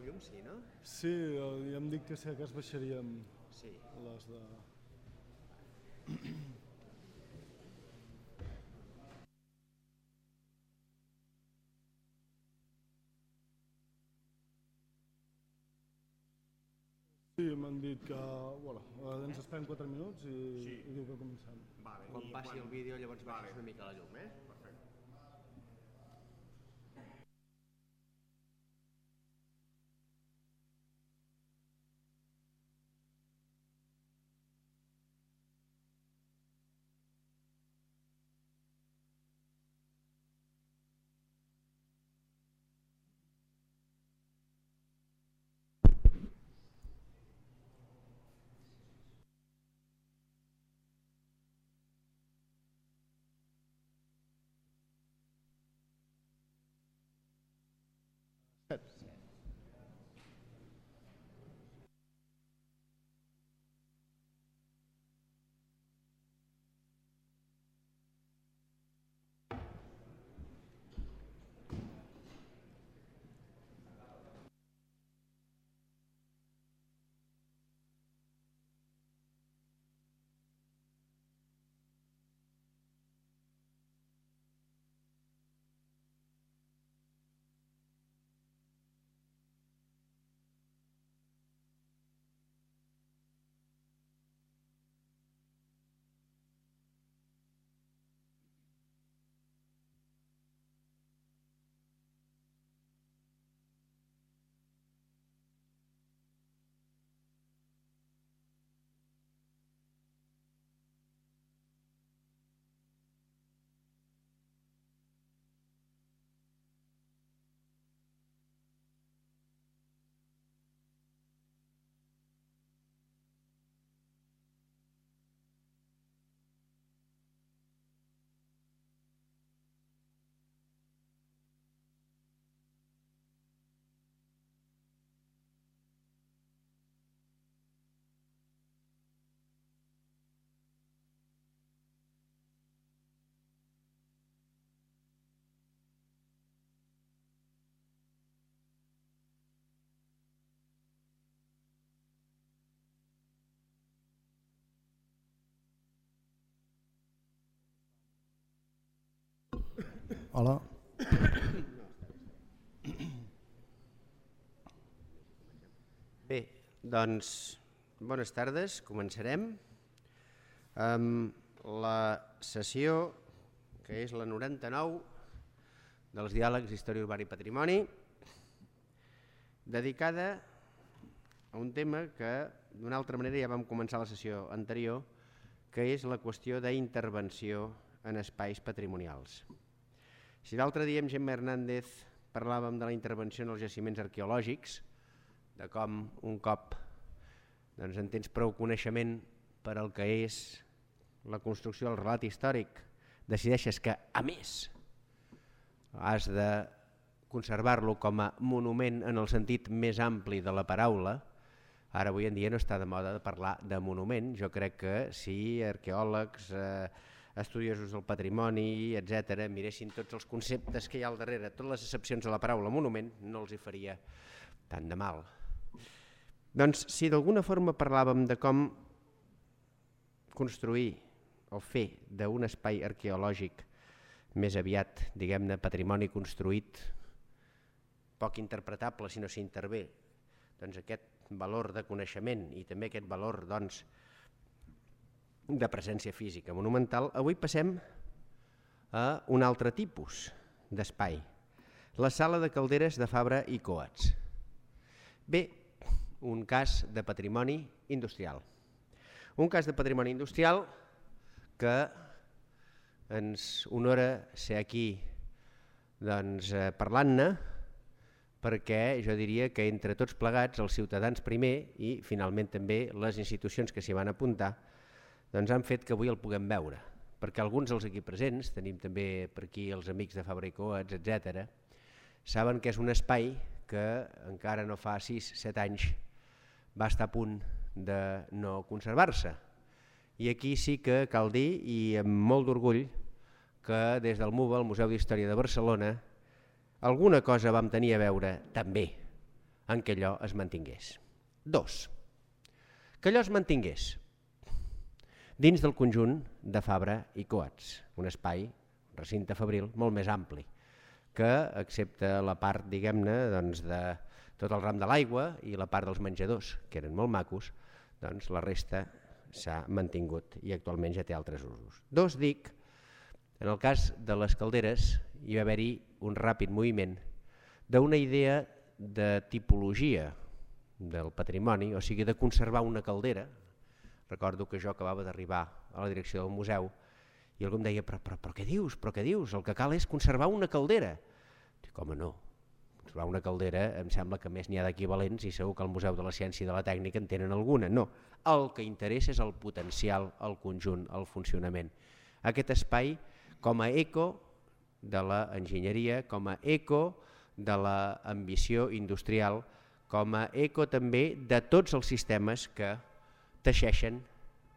llum, sí, no? Sí, ja em dic que si acas baixaríem les de... Sí, m'han dit que ens esperem 4 minuts i diu que comencem. Quan passi el vídeo llavors baixes una mica la llum, eh? Hola. Bé, doncs, bones tardes, començarem amb la sessió que és la 99 dels diàlegs d'Història Urbana i Patrimoni, dedicada a un tema que d'una altra manera ja vam començar la sessió anterior, que és la qüestió d'intervenció en espais patrimonials. Si l'altre dia amb Gemma Hernández parlàvem de la intervenció en els jaciments arqueològics, de com un cop en tens prou coneixement per al que és la construcció del relat històric, decideixes que, a més, has de conservar-lo com a monument en el sentit més ampli de la paraula. Ara avui en dia no està de moda de parlar de monument. Jo crec que si arqueòlegs, estudiosos del patrimoni, etc., miressin tots els conceptes que hi ha al darrere, totes les accepcions de la paraula monument, no els hi faria tant de mal. Doncs si d'alguna forma parlàvem de com construir o fer d'un espai arqueològic més aviat, diguem-ne, patrimoni construït, poc interpretable si no s'hi intervé, doncs aquest valor de coneixement i també aquest valor de presència física monumental, avui passem a un altre tipus d'espai, la sala de calderes de Fabra i Coats. Bé, un cas de patrimoni industrial. Un cas de patrimoni industrial que ens honora ser aquí parlant-ne, perquè jo diria que entre tots plegats, els ciutadans primer i finalment també les institucions que s'hi van apuntar, doncs han fet que avui el puguem veure, perquè alguns dels aquí presents, tenim també per aquí els amics de Fabra i Coats, etc., saben que és un espai que encara no fa 6-7 anys va estar a punt de no conservar-se. I aquí sí que cal dir, i amb molt d'orgull, que des del MUBA, el Museu d'Història de Barcelona, alguna cosa vam tenir a veure també en què allò es mantingués. 2. Que allò es mantingués dins del conjunt de Fabra i Coats, un espai, un recinte fabril molt més ampli, que excepte la part, diguem-ne, de tot el ram de l'aigua i la part dels menjadors, que eren molt macos, doncs la resta s'ha mantingut i actualment ja té altres usos. 2, dic, en el cas de les calderes hi va haver-hi un ràpid moviment d'una idea de tipologia del patrimoni, o sigui, de conservar una caldera. Recordo que jo acabava d'arribar a la direcció del museu i algú em deia, però què dius? Però què dius? El que cal és conservar una caldera. Dic, home, no. Conservar una caldera em sembla que més n'hi ha d'equivalents i segur que al Museu de la Ciència i de la Tècnica en tenen alguna. No, el que interessa és el potencial, el conjunt, el funcionament. Aquest espai com a eco de l'enginyeria, com a eco de l'ambició industrial, com a eco també de tots els sistemes que teixeixen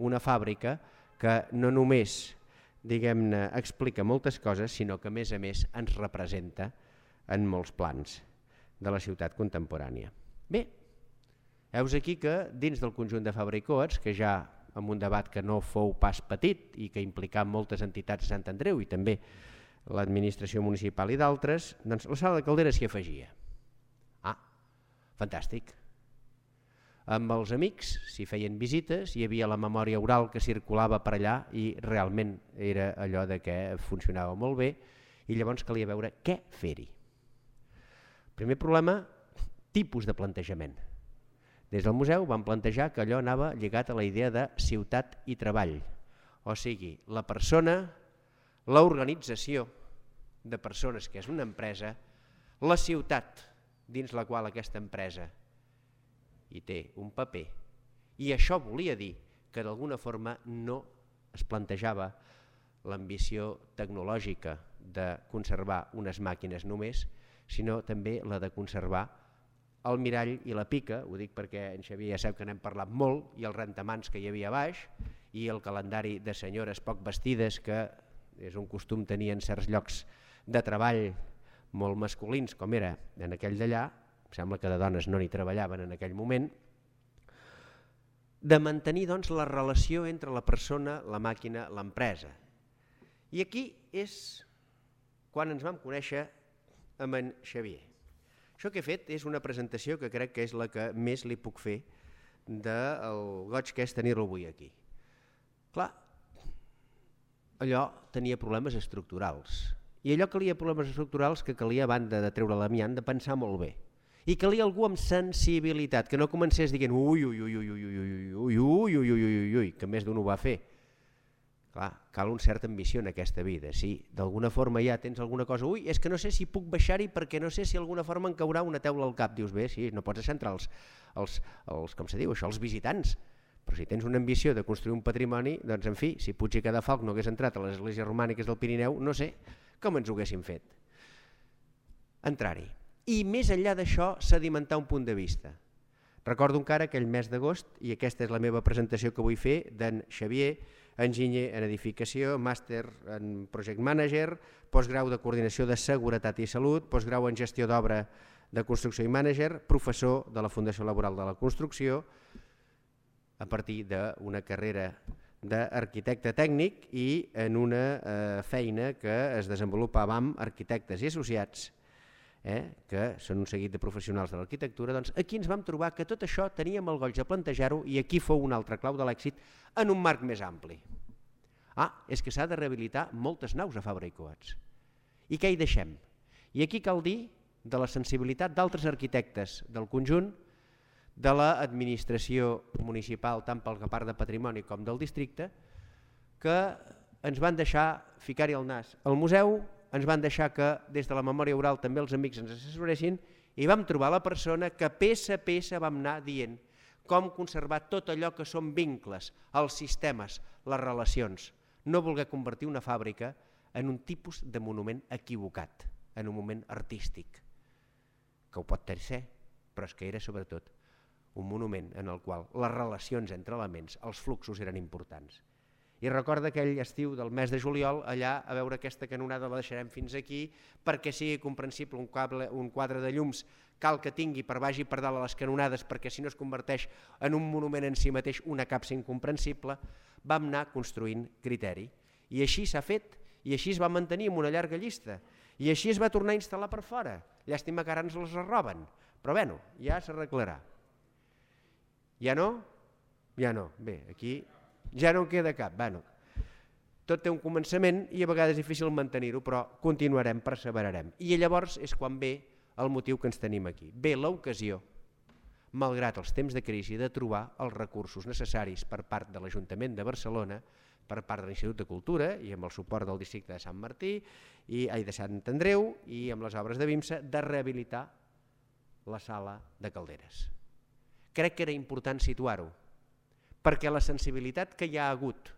una fàbrica que no només, diguem-ne, explica moltes coses, sinó que a més ens representa en molts plans de la ciutat contemporània. Bé, heus aquí que dins del conjunt de Fabra i Coats, que ja amb un debat que no fou pas petit i que implicava moltes entitats de Sant Andreu i també l'administració municipal i d'altres, doncs la sala de calderes s'hi afegia. Ah, fantàstic. Amb els amics s'hi feien visites, hi havia la memòria oral que circulava per allà i realment era allò de que funcionava molt bé i llavors calia veure què fer-hi. Primer problema, tipus de plantejament. Des del museu vam plantejar que allò anava lligat a la idea de ciutat i treball, o sigui, la persona, l'organització de persones que és una empresa, la ciutat dins la qual aquesta empresa hi té un paper, i això volia dir que d'alguna forma no es plantejava l'ambició tecnològica de conservar unes màquines només, sinó també la de conservar el mirall i la pica, ho dic perquè en Xavier ja sap que n'hem parlat molt, i el rentamans que hi havia a baix, i el calendari de senyores poc vestides, que és un costum tenir en certs llocs de treball molt masculins, com era en aquell d'allà, em sembla que de dones no n'hi treballaven en aquell moment, de mantenir doncs, la relació entre la persona, la màquina, l'empresa. I aquí és quan ens vam conèixer amb en Xavier. Això que he fet és una presentació que crec que és la que més li puc fer del goig que és tenir-lo avui aquí. Clar, allò tenia problemes estructurals. I allò calia problemes estructurals que calia, a banda de treure l'amiant, de pensar molt bé. I calia algú amb sensibilitat, que no comencés dient ui, ui, ui, ui, ui, ui, ui, ui, ui, ui, ui, ui, que més d'un ho va fer. Clar, cal una certa ambició en aquesta vida. Si d'alguna forma ja tens alguna cosa, ui, és que no sé si puc baixar-hi perquè no sé si d'alguna forma em caurà una teula al cap. Dius, bé, sí, no pots deixar entrar com se diu això, els visitants. Però si tens una ambició de construir un patrimoni, doncs en fi, si Puig i Cadafalch no hagués entrat a les esglésies romàniques del Pirineu, no sé com ens ho haguéssim fet. Entrar-hi. I més enllà d'això, sedimentar un punt de vista. Recordo encara aquell mes d'agost, i aquesta és la meva presentació que vull fer, d'en Xavier, enginyer en edificació, màster en project manager, postgrau de coordinació de seguretat i salut, postgrau en gestió d'obra de construcció i manager, professor de la Fundació Laboral de la Construcció, a partir d'una carrera d'arquitecte tècnic i en una feina que es desenvolupava amb arquitectes i associats, que són un seguit de professionals de l'arquitectura. Doncs aquí ens vam trobar que tot això teníem el goig de plantejar-ho i aquí fou una altra clau de l'èxit en un marc més ampli. És que s'ha de rehabilitar moltes naus a Fabra i Coats. I què hi deixem? I aquí cal dir de la sensibilitat d'altres arquitectes del conjunt, de l'administració municipal, tant pel que part de patrimoni com del districte, que ens van deixar ficar-hi el nas al museu, ens van deixar que des de la memòria oral també els amics ens assessoressin i vam trobar la persona que peça a peça vam anar dient com conservar tot allò que són vincles, els sistemes, les relacions. No voler convertir una fàbrica en un tipus de monument equivocat, en un moment artístic, que ho pot ser, però és que era sobretot un monument en el qual les relacions entre elements, els fluxos eren importants. I recorda aquell estiu del mes de juliol, allà a veure aquesta canonada la deixarem fins aquí perquè sigui comprensible un quadre de llums cal que tingui per baix i per dalt a les canonades perquè si no es converteix en un monument en si mateix, una capsa incomprensible, vam anar construint criteri. I així s'ha fet, i així es va mantenir amb una llarga llista, i així es va tornar a instal·lar per fora. Llàstima que ara ens les roben, però bueno, ja s'arreglarà. Ja no? Ja no. Bé, aquí ja no en queda cap. Bueno, tot té un començament i a vegades és difícil mantenir-ho, però continuarem, perseverarem. I llavors és quan ve el motiu que ens tenim aquí. Ve l'ocasió, malgrat els temps de crisi, de trobar els recursos necessaris per part de l'Ajuntament de Barcelona, per part de l'Institut de Cultura i amb el suport del districte de Sant Martí i de Sant Andreu i amb les obres de BIMSA, de rehabilitar la sala de Calderes. Crec que era important situar-ho, perquè la sensibilitat que hi ha hagut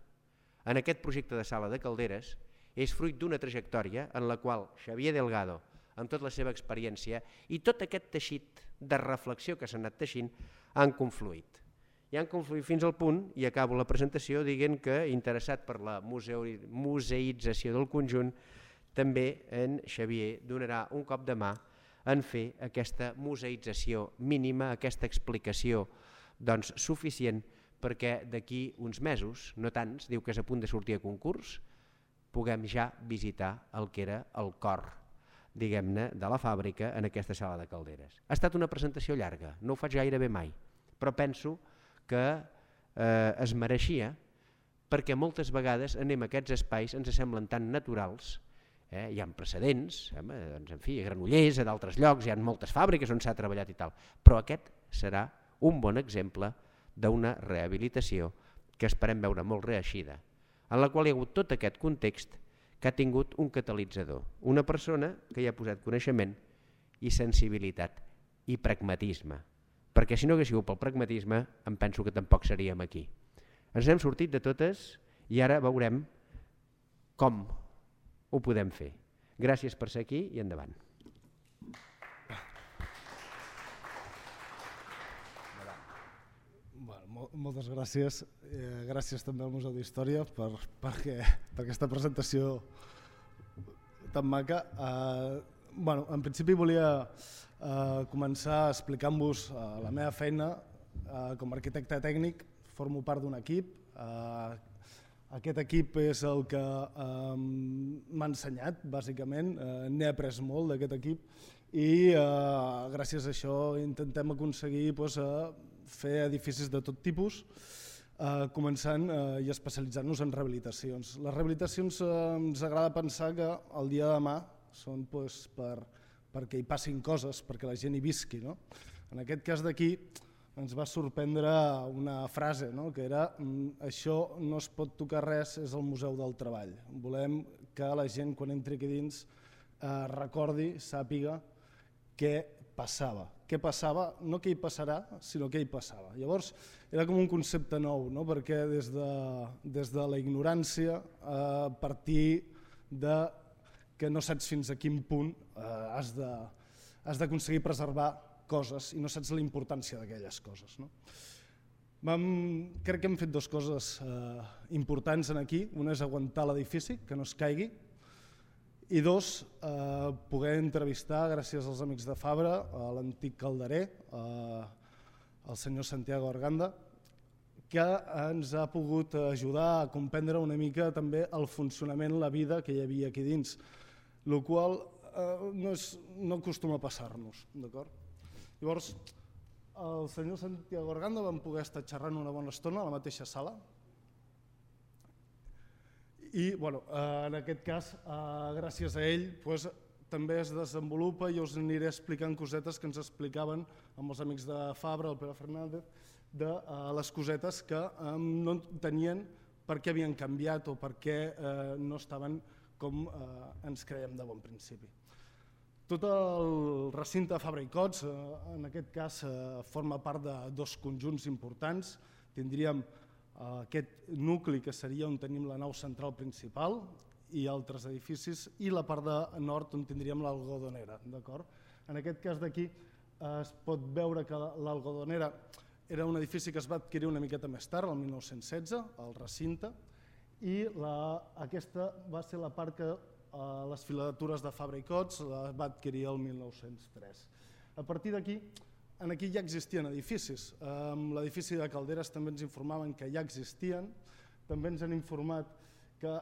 en aquest projecte de sala de Calderes és fruit d'una trajectòria en la qual Xavier Delgado, amb tota la seva experiència i tot aquest teixit de reflexió que s'ha anat teixint, han confluït. I han confluït fins al punt, i acabo la presentació dient que, interessat per la museïtzació del conjunt, també en Xavier donarà un cop de mà en fer aquesta museïtzació mínima, aquesta explicació suficient perquè d'aquí uns mesos, no tants, diu que és a punt de sortir a concurs, puguem ja visitar el que era el cor, diguem-ne, de la fàbrica en aquesta sala de Calderes. Ha estat una presentació llarga, no ho faig gairebé mai, però penso que es mereixia perquè moltes vegades anem a aquests espais, ens semblen tan naturals, hi ha precedents, en fi, a Granollers, a d'altres llocs, hi ha moltes fàbriques on s'ha treballat i tal, però aquest serà un bon exemple d'una rehabilitació que esperem veure molt reeixida, en la qual hi ha hagut tot aquest context que ha tingut un catalitzador, una persona que hi ha posat coneixement i sensibilitat i pragmatisme, perquè si no hagués sigut pel pragmatisme em penso que tampoc seríem aquí. Ens hem sortit de totes i ara veurem com ho podem fer. Gràcies per ser aquí i endavant. Moltes gràcies. Gràcies també al Museu d'Història per aquesta presentació tan maca. En principi volia començar explicant-vos la meva feina com a arquitecte tècnic. Formo part d'un equip. Aquest equip és el que m'ha ensenyat, bàsicament. N'he après molt d'aquest equip i gràcies a això intentem aconseguir fer edificis de tot tipus, començant i especialitzant-nos en rehabilitacions. Les rehabilitacions ens agrada pensar que el dia de demà són perquè hi passin coses, perquè la gent hi visqui. En aquest cas d'aquí ens va sorprendre una frase, que era això no es pot tocar res, és el museu del treball. Volem que la gent quan entri aquí dins recordi, sàpiga què passava. Què passava, no què hi passarà, sinó què hi passava. Llavors era com un concepte nou, perquè des de la ignorància, a partir que no saps fins a quin punt has d'aconseguir preservar coses i no saps la importància d'aquelles coses. Crec que hem fet dues coses importants aquí. Una és aguantar l'edifici, que no es caigui, i dos, poder entrevistar, gràcies als amics de Fabra, l'antic calderer, el senyor Santiago Arganda, que ens ha pogut ajudar a comprendre una mica també el funcionament, la vida que hi havia aquí dins, el qual no acostuma a passar-nos. Llavors, el senyor Santiago Arganda vam poder estar xerrant una bona estona a la mateixa sala, i en aquest cas, gràcies a ell, també es desenvolupa i us aniré explicant cosetes que ens explicaven amb els amics de Fabra, el Pere Fernández, de les cosetes que no tenien per què havien canviat o per què no estaven com ens creiem de bon principi. Tot el recinte Fabra i Cots, en aquest cas, forma part de dos conjunts importants. Tindríem aquest nucli que seria on tenim la nau central principal i altres edificis, i la part de nord on tindríem l'Algodonera. En aquest cas d'aquí es pot veure que l'Algodonera era un edifici que es va adquirir una miqueta més tard, el 1916, el recinte, i aquesta va ser la part que les filatures de Fabra i Cots va adquirir el 1903. A partir d'aquí, aquí ja existien edificis. L'edifici de Calderes també ens informaven que ja existien, també ens han informat que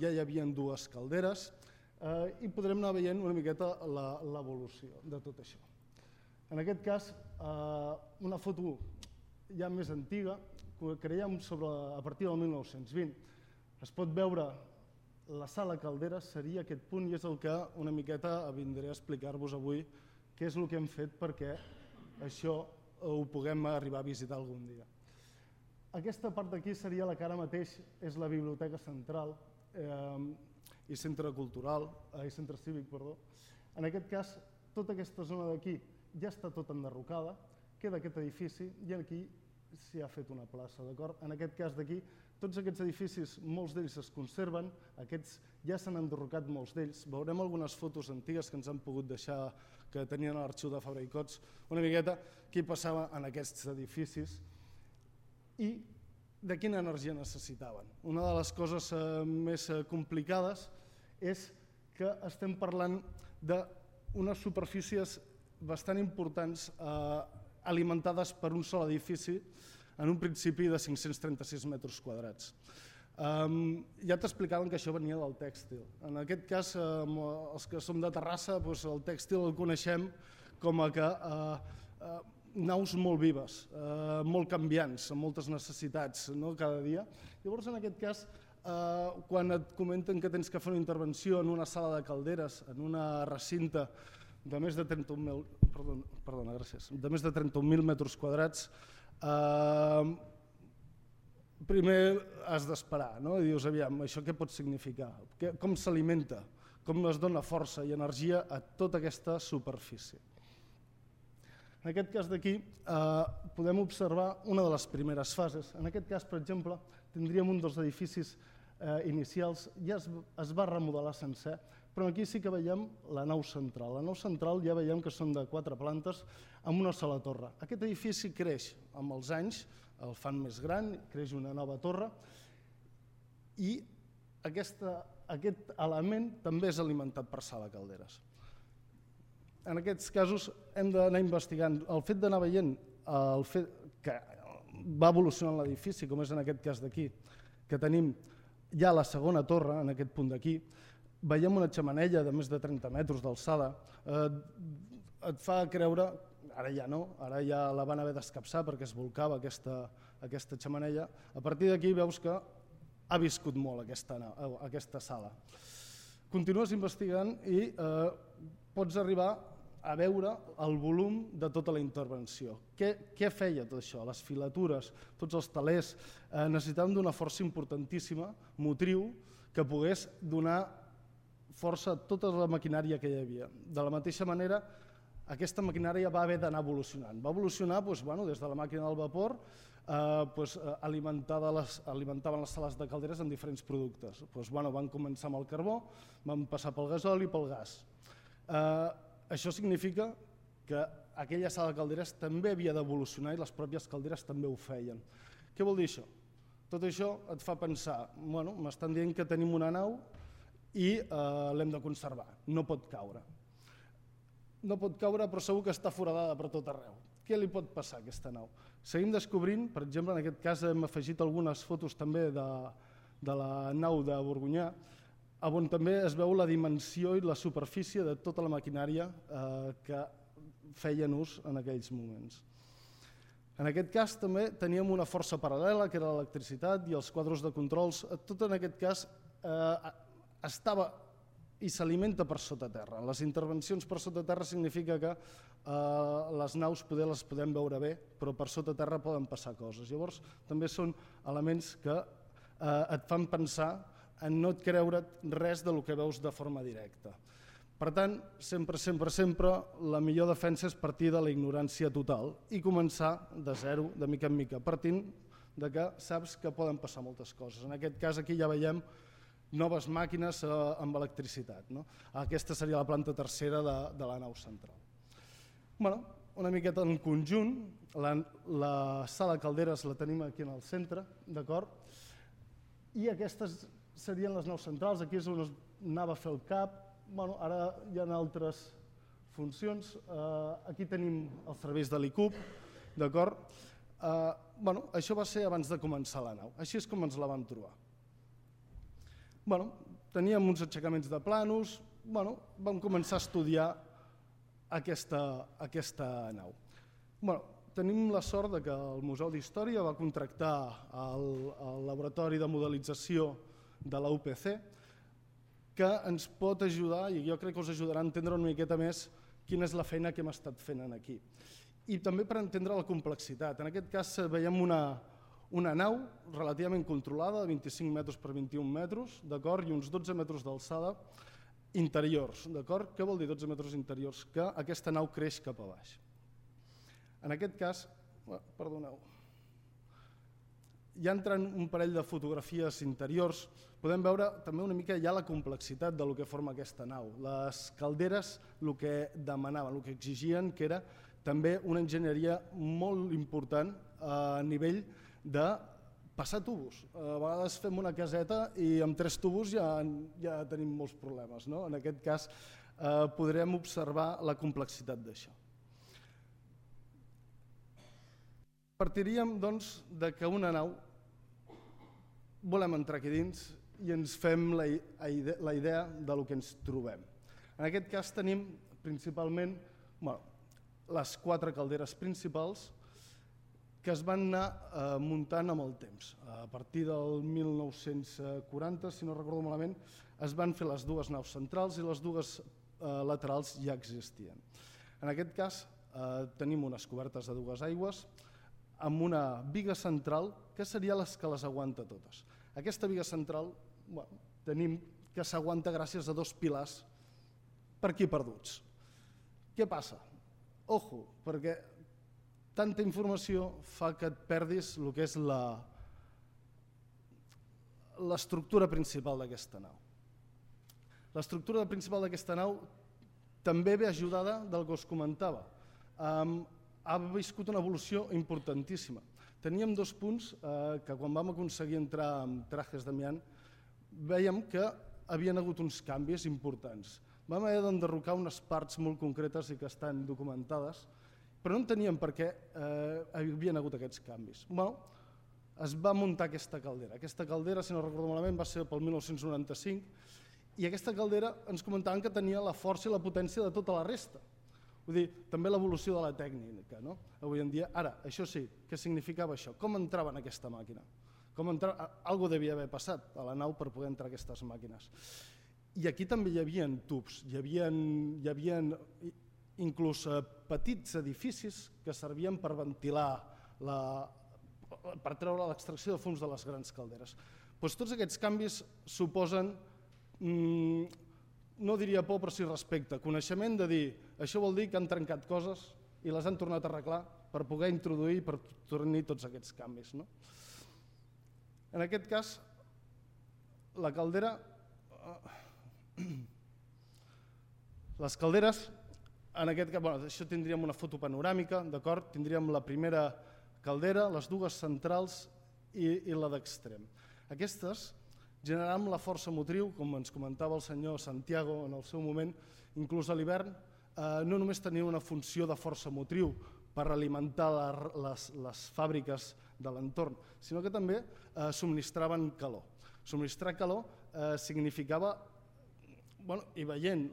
ja hi havia dues calderes i podrem anar veient una miqueta l'evolució de tot això. En aquest cas, una foto ja més antiga, que creiem a partir del 1920, es pot veure la sala Calderes, seria aquest punt i és el que una miqueta vindré a explicar-vos avui què és el que hem fet perquè això ho puguem arribar a visitar algun dia. Aquesta part d'aquí seria la que ara mateix és la Biblioteca Central i Centre Cultural, i Centre Cívic, perdó. En aquest cas, tota aquesta zona d'aquí ja està tot enderrocada, queda aquest edifici i aquí s'hi ha fet una plaça, d'acord? En aquest cas d'aquí, tots aquests edificis, molts d'ells es conserven, aquests ja s'han enderrocat molts d'ells. Veurem algunes fotos antigues que ens han pogut deixar, que tenien a l'arxiu de Fabra i Cots, una miqueta què passava en aquests edificis i de quina energia necessitaven. Una de les coses més complicades és que estem parlant d'unes superfícies bastant importants alimentades per un sol edifici en un principi de 536 metres quadrats. Ja t'explicaven que això venia del tèxtil. En aquest cas, els que som de Terrassa, el tèxtil el coneixem com a naus molt vives, molt canviants, amb moltes necessitats cada dia. Llavors, en aquest cas, quan et comenten que tens que fer una intervenció en una sala de Calderes, en una recinte de més de 31.000 metres quadrats, primer has d'esperar, i dius, aviam, això què pot significar? Com s'alimenta? Com es dona força i energia a tota aquesta superfície? En aquest cas d'aquí podem observar una de les primeres fases. En aquest cas, per exemple, tindríem un dels edificis inicials, ja es va remodelar sencer, però aquí sí que veiem la nau central. La nau central ja veiem que són de 4 plantes amb una sola torre. Aquest edifici creix amb els anys, el fan més gran, creix una nova torre i aquest element també és alimentat per sala Calderes. En aquests casos hem d'anar investigant. El fet d'anar veient el fet que va evolucionant l'edifici, com és en aquest cas d'aquí, que tenim ja la segona torre, en aquest punt d'aquí, veiem una xemeneia de més de 30 metres d'alçada, et fa creure, ara ja no, ara ja la van haver d'escapçar perquè es volcava aquesta xemeneia, a partir d'aquí veus que ha viscut molt aquesta sala. Continues investigant i pots arribar a veure el volum de tota la intervenció. Què feia tot això? Les filatures, tots els telers, necessitaven d'una força importantíssima, motriu, que pogués donar força a tota la maquinària que hi havia. De la mateixa manera, aquesta maquinària va haver d'anar evolucionant. Va evolucionar des de la màquina del vapor, alimentaven les sales de Calderes amb diferents productes. Van començar amb el carbó, van passar pel gasoli i pel gas. Això significa que aquella sala de Calderes també havia d'evolucionar i les pròpies calderes també ho feien. Què vol dir això? Tot això et fa pensar, m'estan dient que tenim una nau i l'hem de conservar, no pot caure. No pot caure, però segur que està foradada per tot arreu. Què li pot passar a aquesta nau? Seguim descobrint, per exemple, en aquest cas hem afegit algunes fotos també de la nau de Borgonyà, on també es veu la dimensió i la superfície de tota la maquinària que feien ús en aquells moments. En aquest cas també teníem una força paral·lela, que era l'electricitat i els quadres de controls. Tot en aquest cas estava i s'alimenta per sota terra. Les intervencions per sota terra significa que les naus les podem veure bé, però per sota terra poden passar coses. Llavors també són elements que et fan pensar en no et creure res del que veus de forma directa. Per tant, sempre, la millor defensa és partir de la ignorància total i començar de zero, de mica en mica, partint que saps que poden passar moltes coses. En aquest cas aquí ja veiem noves màquines amb electricitat. Aquesta seria la planta tercera de la nau central. Una miqueta en conjunt, la sala Calderes la tenim aquí en el centre, d'acord? I aquestes serien les naus centrals, aquí és on es anava a fer el cap. Ara hi ha altres funcions. Aquí tenim els serveis de l'ICUP, d'acord? Això va ser abans de començar la nau, així és com ens la vam trobar. Teníem uns aixecaments de plànols, vam començar a estudiar aquesta nau. Tenim la sort que el Museu d'Història va contractar el laboratori de modelització de la UPC, que ens pot ajudar, i jo crec que us ajudarà a entendre una miqueta més quina és la feina que hem estat fent aquí. I també per entendre la complexitat. En aquest cas veiem una nau relativament controlada, de 25 metres per 21 metres, i uns 12 metres d'alçada interiors. Què vol dir 12 metres interiors? Que aquesta nau creix cap a baix. En aquest cas, perdoneu, ja entrant un parell de fotografies interiors, podem veure també una mica ja la complexitat del que forma aquesta nau. Les calderes el que demanaven, el que exigien, que era també una enginyeria molt important a nivell de passar tubos. A vegades fem una caseta i amb 3 tubos ja tenim molts problemes. En aquest cas podrem observar la complexitat d'això. Partiríem, doncs, que una nau volem entrar aquí dins i ens fem la idea del que ens trobem. En aquest cas tenim principalment les 4 calderes principals que es van anar muntant amb el temps. A partir del 1940, si no recordo malament, es van fer les 2 naus centrals i les 2 laterals ja existien. En aquest cas tenim unes cobertes de 2 aigües amb una biga central que seria les que les aguanta totes. Aquesta biga central tenim que s'aguanta gràcies a 2 pilars per aquí perduts. Què passa? Ojo, perquè tanta informació fa que et perdis el que és l'estructura principal d'aquesta nau. L'estructura principal d'aquesta nau també ve ajudada del que us comentava. Ha viscut una evolució importantíssima. Teníem 2 punts que quan vam aconseguir entrar amb trajes d'amiant vèiem que havien hagut uns canvis importants. Vam haver d'enderrocar unes parts molt concretes i que estan documentades, però no enteníem per què havien hagut aquests canvis. Es va muntar aquesta caldera. Aquesta caldera, si no recordo malament, va ser pel 1995 i aquesta caldera ens comentaven que tenia la força i la potència de tota la resta. Vull dir, també l'evolució de la tècnica, no? Avui en dia, ara, això sí, què significava això? Com entrava en aquesta màquina? Algo devia haver passat a la nau per poder entrar aquestes màquines. I aquí també hi havia tubs, hi havia inclús petits edificis que servien per ventilar, per treure l'extracció de fums de les grans calderes. Tots aquests canvis suposen, no diria por, però sí respecte, coneixement de dir, això vol dir que han trencat coses i les han tornat a arreglar per poder introduir i per tornar tots aquests canvis. En aquest cas, la caldera, les calderes, en aquest cas, això tindríem una foto panoràmica, d'acord? Tindríem la primera caldera, les 2 centrals i la d'extrem. Aquestes generaran la força motriu, com ens comentava el senyor Santiago en el seu moment, inclús a l'hivern, no només tenien una funció de força motriu per alimentar les fàbriques de l'entorn, sinó que també subministraven calor. Subministrar calor significava, i veient,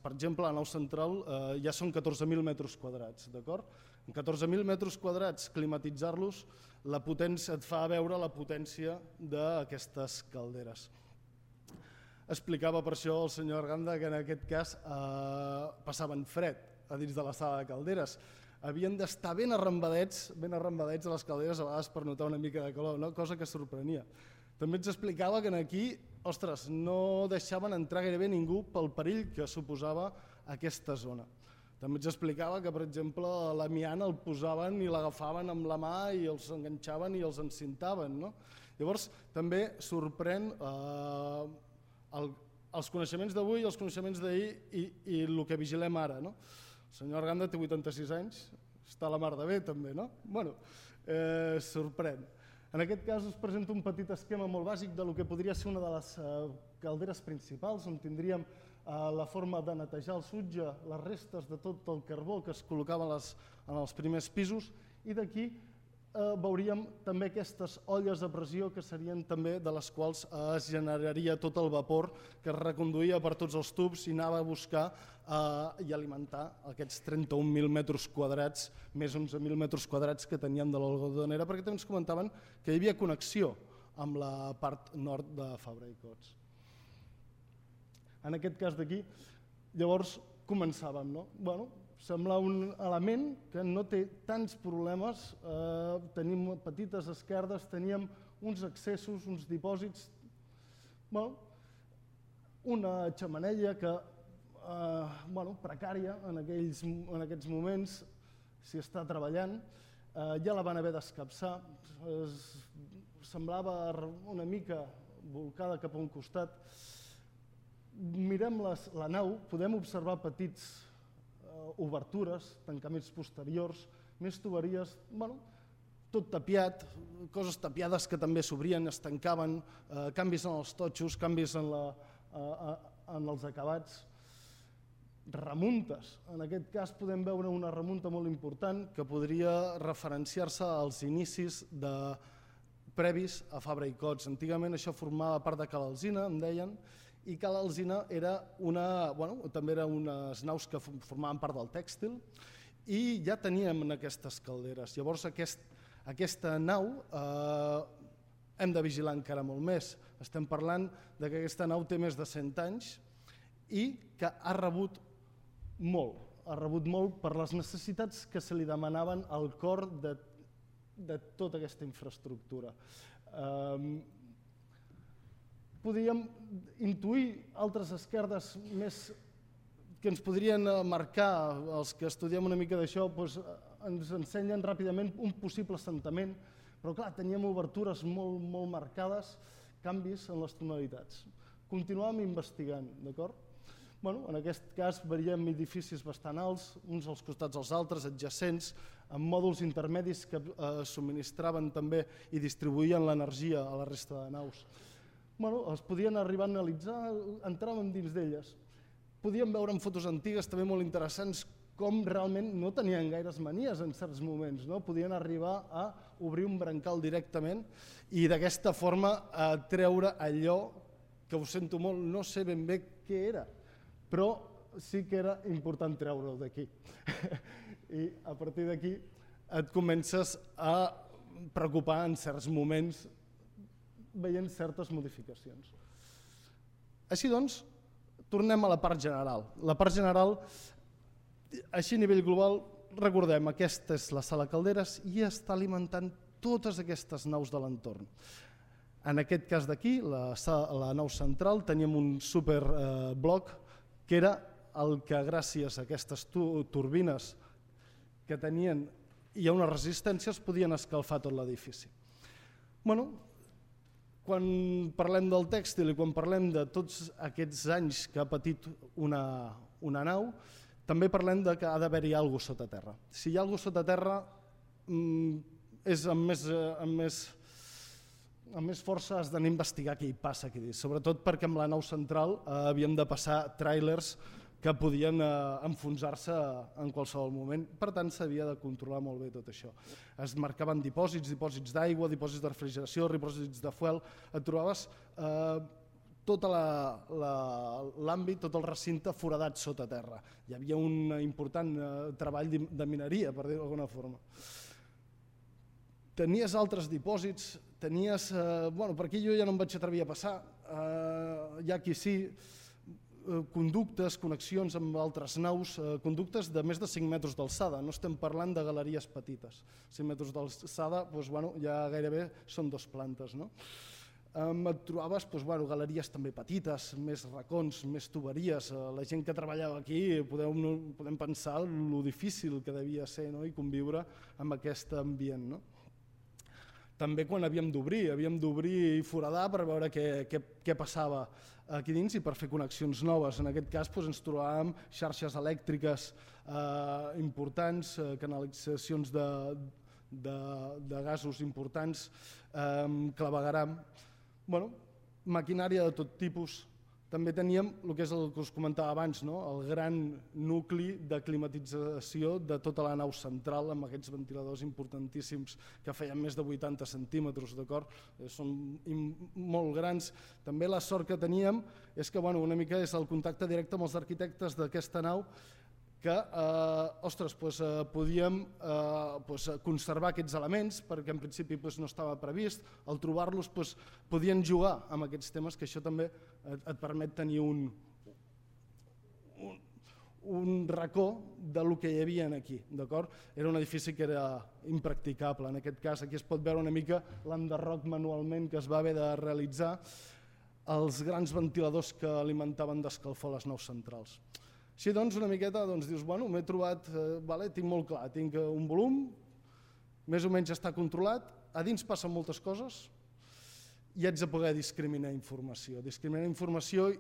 per exemple, la nau central ja són 14.000 metres quadrats, d'acord? En 14.000 metres quadrats, climatitzar-los, la potència et fa veure la potència d'aquestes calderes. Explicava per això el senyor Arganda que en aquest cas passaven fred a dins de la sala de calderes. Havien d'estar ben arrambadets a les calderes a vegades per notar una mica de calor, cosa que sorprenia. També ens explicava que aquí, no deixaven entrar gairebé ningú pel perill que suposava aquesta zona. També ens explicava que, per exemple, l'amiant el posaven i l'agafaven amb la mà i els enganxaven i els encintaven. Llavors, també sorprèn els coneixements d'avui i els coneixements d'ahir i el que vigilem ara. El senyor Arganda té 86 anys, està a la mar de bé també, no? Sorprèn. En aquest cas us presento un petit esquema molt bàsic del que podria ser una de les calderes principals, on tindríem la forma de netejar el sutge, les restes de tot el carbó que es col·locava en els primers pisos, i d'aquí veuríem també aquestes olles a pressió que serien també de les quals es generaria tot el vapor que es reconduïa per tots els tubs i anava a buscar i alimentar aquests 31.000 metres quadrats, més 11.000 metres quadrats que teníem de l'algodonera, perquè també ens comentaven que hi havia connexió amb la part nord de Fabra i Coats. En aquest cas d'aquí, llavors començàvem, no? Bueno, sembla un element que no té tants problemes, tenim petites esquerdes, teníem uns accessos, uns dipòsits, una xemeneia que, precària en aquests moments, s'hi està treballant, ja la van haver d'escapçar, semblava una mica volcada cap a un costat. Mirem la nau, podem observar petits obertures, tancaments posteriors, més tuberies, tot tapiat, coses tapiades que també s'obrien, es tancaven, canvis en els totxos, canvis en els acabats, remuntes. En aquest cas podem veure una remunta molt important que podria referenciar-se als inicis previs a Fabra i Coats. Antigament això formava part de Cala Alzina, em deien, i Cala Alzina també eren unes naus que formaven part del tèxtil i ja teníem aquestes calderes. Llavors aquesta nau hem de vigilar encara molt més. Estem parlant que aquesta nau té més de 100 anys i que ha rebut molt per les necessitats que se li demanaven al cor de tota aquesta infraestructura. Podíem intuir altres esquerdes més que ens podrien marcar, els que estudiem una mica d'això, ens ensenyen ràpidament un possible assentament, però clar, teníem obertures molt marcades, canvis en les tonalitats. Continuàvem investigant, d'acord? En aquest cas veiem edificis bastant alts, uns als costats dels altres, adjacents, amb mòduls intermedis que subministraven també i distribuïen l'energia a la resta de naus. Es podien arribar a analitzar, entràvem dins d'elles. Podíem veure en fotos antigues també molt interessants com realment no tenien gaires manies en certs moments. Podien arribar a obrir un brancal directament i d'aquesta forma treure allò que, ho sento molt, no sé ben bé què era, però sí que era important treure-ho d'aquí. I a partir d'aquí et comences a preocupar en certs moments veient certes modificacions. Així doncs, tornem a la part general. La part general, així a nivell global, recordem, aquesta és la sala Calderes i està alimentant totes aquestes naus de l'entorn. En aquest cas d'aquí, la nau central, teníem un superbloc que era el que gràcies a aquestes turbines que tenien i a unes resistències podien escalfar tot l'edifici. Quan parlem del tèxtil i quan parlem de tots aquests anys que ha patit una nau, també parlem que ha d'haver-hi alguna cosa sota terra. Si hi ha alguna cosa sota terra, amb més força has d'anar a investigar què hi passa aquí dins, sobretot perquè amb la nau central havíem de passar tràilers que podien enfonsar-se en qualsevol moment. Per tant, s'havia de controlar molt bé tot això. Es marcaven dipòsits d'aigua, dipòsits de refrigeració, dipòsits de fuel. Et trobaves tot l'àmbit, tot el recinte foradat sota terra. Hi havia un important treball de mineria, per dir-ho d'alguna forma. Tenies altres dipòsits, tenies... Per aquí jo ja no em vaig atrevir a passar, hi ha qui sí, conductes, connexions amb altres naus, conductes de més de 5 metres d'alçada, no estem parlant de galeries petites. 5 metres d'alçada ja gairebé són 2 plantes. Et trobaves galeries també petites, més racons, més tuberies. La gent que treballava aquí podem pensar lo difícil que devia ser i conviure amb aquest ambient. També quan havíem d'obrir i foradar per veure què passava aquí dins i per fer connexions noves. En aquest cas ens trobàvem xarxes elèctriques importants, canalitzacions de gasos importants, clavegueram, maquinària de tot tipus, també teníem el que és el que us comentava abans, el gran nucli de climatització de tota la nau central amb aquests ventiladors importantíssims que feien més de 80 centímetres, d'acord? Són molt grans. També la sort que teníem és que una mica és el contacte directe amb els arquitectes d'aquesta nau que podíem conservar aquests elements perquè en principi no estava previst, al trobar-los podien jugar amb aquests temes, que això també et permet tenir un racó del que hi havia aquí, d'acord? Era un edifici que era impracticable, en aquest cas aquí es pot veure una mica l'enderroc manualment que es va haver de realitzar, els grans ventiladors que alimentaven d'escalfor les naus centrals. Així doncs, una miqueta dius, m'he trobat, tinc molt clar, tinc un volum, més o menys està controlat, a dins passen moltes coses i haig de poder discriminar informació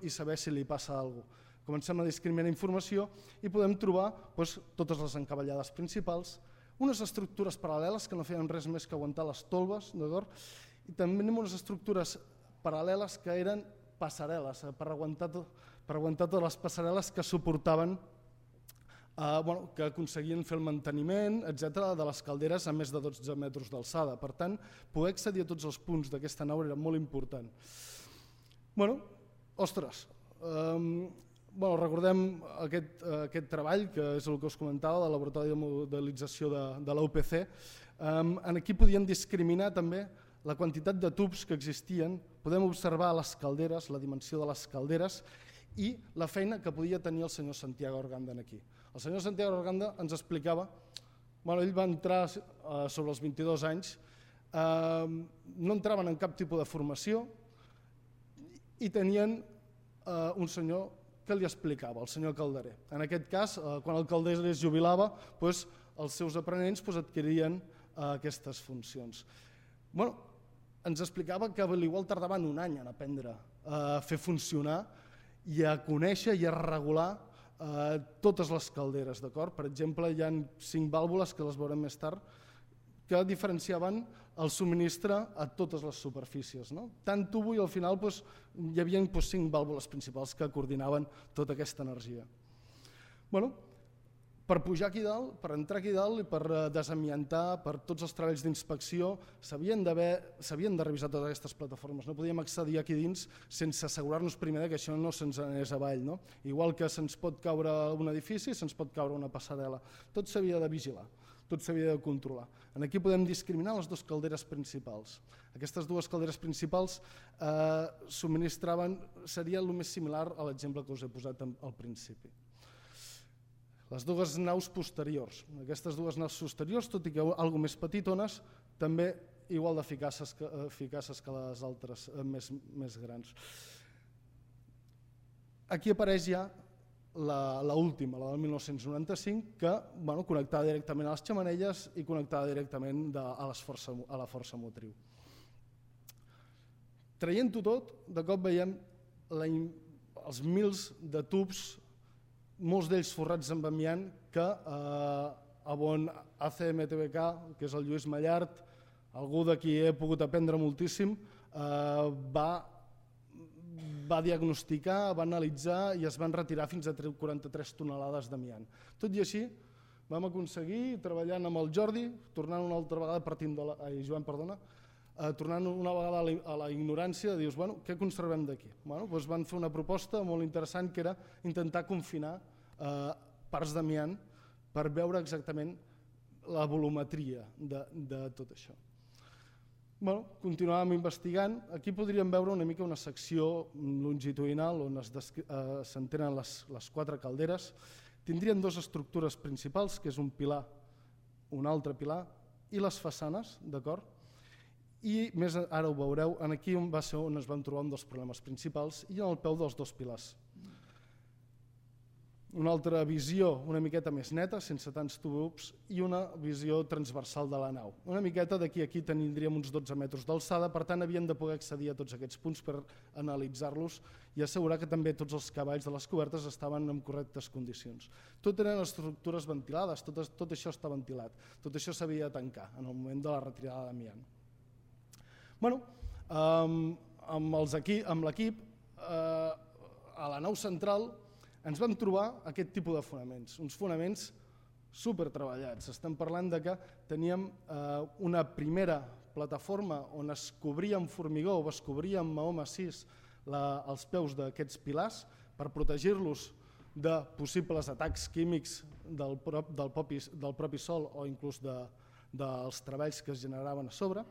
i saber si li passa alguna cosa. Comencem a discriminar informació i podem trobar totes les encavallades principals, unes estructures paral·leles que no feien res més que aguantar les tolves, d'acord? I també tenim unes estructures paral·leles que eren passarel·les, per aguantar totes les passarel·les que suportaven, que aconseguien fer el manteniment, etc., de les calderes a més de 12 metres d'alçada. Per tant, poder accedir a tots els punts d'aquesta nau era molt important. Recordem aquest treball, que és el que us comentava, del laboratori de modelització de la UPC. Aquí podien discriminar també la quantitat de tubs que existien, podem observar les calderes, la dimensió de les calderes i la feina que podia tenir el senyor Santiago Arganda aquí. El senyor Santiago Arganda ens explicava, ell va entrar sobre els 22 anys, no entraven en cap tipus de formació i tenien un senyor que li explicava, el senyor Calderer. En aquest cas, quan el Calderer es jubilava, els seus aprenents adquirien aquestes funcions. Ens explicava que potser tardaven un any en aprendre a fer funcionar i a conèixer i a regular totes les calderes. Per exemple, hi ha 5 vàlvules, que les veurem més tard, que diferenciaven el subministre a totes les superfícies. Tant tubo i al final hi havia 5 vàlvules principals que coordinaven tota aquesta energia. Per pujar aquí dalt, per entrar aquí dalt i per desamiantar, per tots els treballs d'inspecció, s'havien de revisar totes aquestes plataformes. No podíem accedir aquí dins sense assegurar-nos primer que això no se'ns anés avall. Igual que se'ns pot caure un edifici, se'ns pot caure una passarel·la. Tot s'havia de vigilar, tot s'havia de controlar. Aquí podem discriminar les dues calderes principals. Aquestes dues calderes principals seria el més similar a l'exemple que us he posat al principi. Les dues naus posteriors. Aquestes dues naus posteriors, tot i que una mica més petitones, també igual d'eficaces que les altres més grans. Aquí apareix ja l'última, la del 1995, que connectada directament a les xemeneies i connectada directament a la força motriu. Traient-ho tot, de cop veiem els mils de tubs, molts d'ells forrats amb amiant, que a bon ACMTBK, que és el Lluís Mallart, algú de qui he pogut aprendre moltíssim, va diagnosticar, va analitzar i es van retirar fins a 43 tonelades d'amiant. Tot i així, vam aconseguir, treballant amb el Jordi, tornant una altra vegada tornant una vegada a la ignorància, de dir, què conservem d'aquí? Van fer una proposta molt interessant, que era intentar confinar parts d'amiant per veure exactament la volumetria de tot això. Continuàvem investigant. Aquí podríem veure una mica una secció longitudinal on s'entenen les 4 calderes. Tindrien 2 estructures principals, que és un pilar, un altre pilar, i les façanes, d'acord? I més ara ho veureu, aquí va ser on es van trobar un dels problemes principals i en el peu dels 2 pilars. Una altra visió una miqueta més neta, sense tants tubs, i una visió transversal de la nau. Una miqueta d'aquí a aquí tindríem uns 12 metres d'alçada, per tant havíem de poder accedir a tots aquests punts per analitzar-los i assegurar que també tots els cavalls de les cobertes estaven en correctes condicions. Tot eren estructures ventilades, tot això està ventilat, tot això s'havia de tancar en el moment de la retirada d'amiant. Amb l'equip a la nau central ens vam trobar aquest tipus de fonaments, uns fonaments super treballats. Estem parlant de que teníem una primera plataforma on es cobria amb formigó o es cobria amb maó massís els peus d'aquests pilars per protegir-los de possibles atacs químics del propi sol o inclús dels treballs que es generaven a sobre.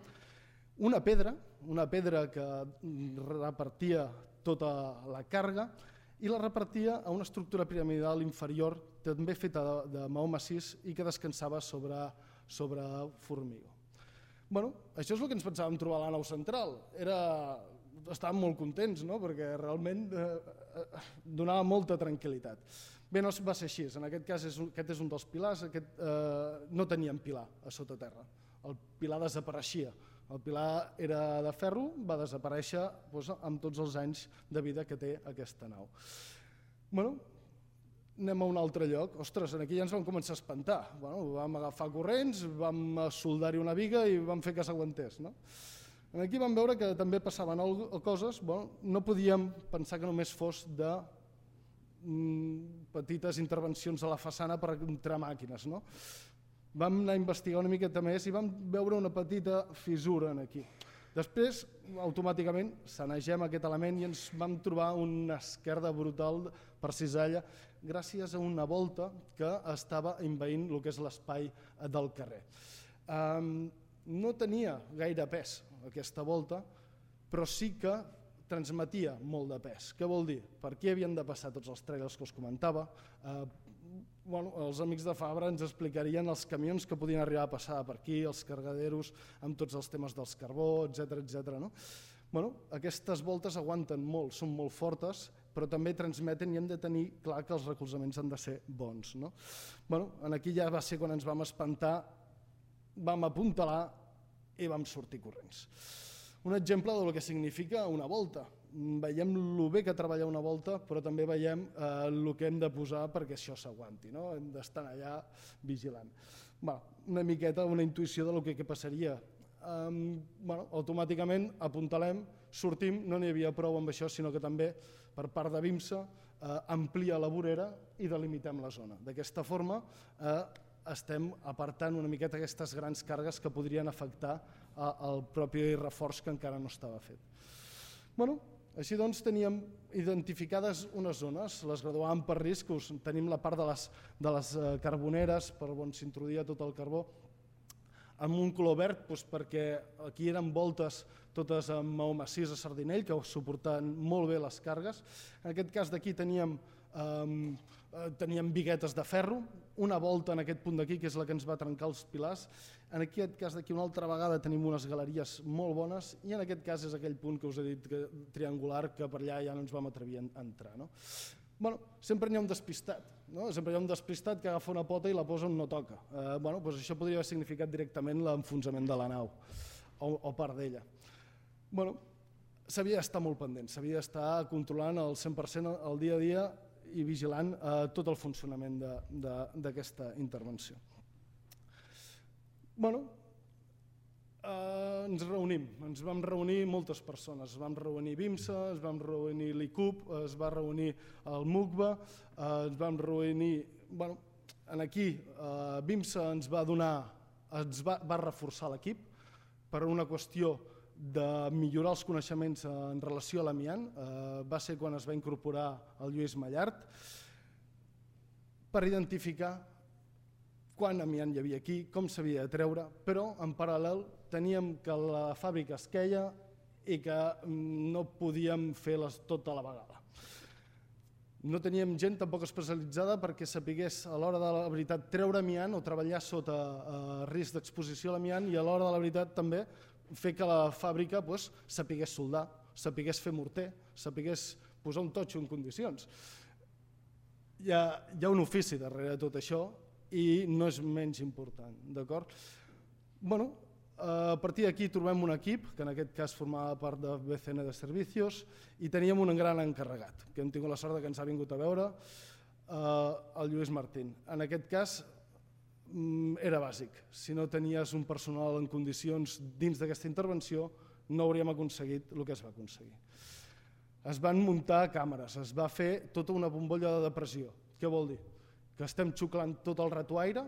Una pedra que repartia tota la càrrega i la repartia a una estructura piramidal inferior també feta de maó massís i que descansava sobre formigó. Això és el que ens pensàvem trobar a la nau central. Estàvem molt contents, perquè realment donava molta tranquil·litat. Bé, no va ser així. En aquest cas, aquest és un dels pilars. No teníem pilar a sota terra. El pilar desapareixia. El pilar era de ferro, va desaparèixer amb tots els anys de vida que té aquesta nau. Anem a un altre lloc. Ostres, aquí ja ens vam començar a espantar. Vam agafar corrents, vam soldar-hi una viga i vam fer que s'aguantés. Aquí vam veure que també passaven coses, no podíem pensar que només fos de petites intervencions a la façana per entrar màquines. Vam anar a investigar una miqueta més i vam veure una petita fissura aquí. Després, automàticament, sanegem aquest element i ens vam trobar una esquerda brutal per cisalla gràcies a una volta que estava envaint el que és l'espai del carrer. No tenia gaire pes aquesta volta, però sí que transmetia molt de pes. Què vol dir? Per aquí havien de passar tots els trailers que us comentava. Els amics de Fabra ens explicarien els camions que podien arribar a passar per aquí, els cargaderos, amb tots els temes dels carbó, etc. Aquestes voltes aguanten molt, són molt fortes, però també transmeten i hem de tenir clar que els recolzaments han de ser bons. Aquí ja va ser quan ens vam espantar, vam apuntalar i vam sortir corrents. Un exemple del que significa una volta. Veiem el bé que treballa una volta, però també veiem el que hem de posar perquè això s'aguanti. Hem d'estar allà vigilant. Una miqueta, una intuïció del que passaria. Automàticament apuntalem, sortim, no n'hi havia prou amb això, sinó que també per part de BIMSA amplia la vorera i delimitem la zona. D'aquesta forma estem apartant una miqueta aquestes grans càrregues que podrien afectar el propi reforç que encara no estava fet. Així doncs teníem identificades unes zones, les graduàvem per riscos, tenim la part de les carboneres per on s'introduïa tot el carbó, amb un color verd perquè aquí eren voltes totes amb maó massís a sardinell que suportaven molt bé les càrregues. En aquest cas d'aquí teníem biguetes de ferro, una volta en aquest punt d'aquí que és la que ens va trencar els pilars. En aquest cas d'aquí una altra vegada tenim unes galeries molt bones i en aquest cas és aquell punt que us he dit triangular que per allà ja no ens vam atrevir a entrar. Sempre n'hi ha un despistat, sempre hi ha un despistat que agafa una pota i la posa on no toca. Això podria haver significat directament l'enfonsament de la nau o part d'ella. S'havia d'estar molt pendent, s'havia d'estar controlant al 100% el dia a dia i vigilant tot el funcionament d'aquesta intervenció. Ens vam reunir moltes persones, es vam reunir BIMSA, es vam reunir l'ICUP, es va reunir el MUCBA, ens vam reunir... Aquí BIMSA ens va reforçar l'equip per una qüestió de millorar els coneixements en relació a l'amiant. Va ser quan es va incorporar el Lluís Mallart per identificar quant amiant hi havia aquí, com s'havia de treure, però en paral·lel teníem que la fàbrica es queia i que no podíem fer-les tot a la vegada. No teníem gent tampoc especialitzada perquè sapigués a l'hora de la veritat treure amiant o treballar sota risc d'exposició a l'amiant i a l'hora de la veritat també fer que la fàbrica sapigués soldar, sapigués fer morter, sapigués posar un totxo en condicions. Hi ha un ofici darrere de tot això i no és menys important, d'acord? A partir d'aquí trobem un equip, que en aquest cas formava part de BCN de Servicios, i teníem un gran encarregat, que hem tingut la sort que ens ha vingut a veure, el Lluís Martín. En aquest cas era bàsic. Si no tenies un personal en condicions dins d'aquesta intervenció, no hauríem aconseguit el que es va aconseguir. es van muntar càmeres, es va fer tota una bombolla de depressió. Què vol dir? Que estem xuclant tot el rato aire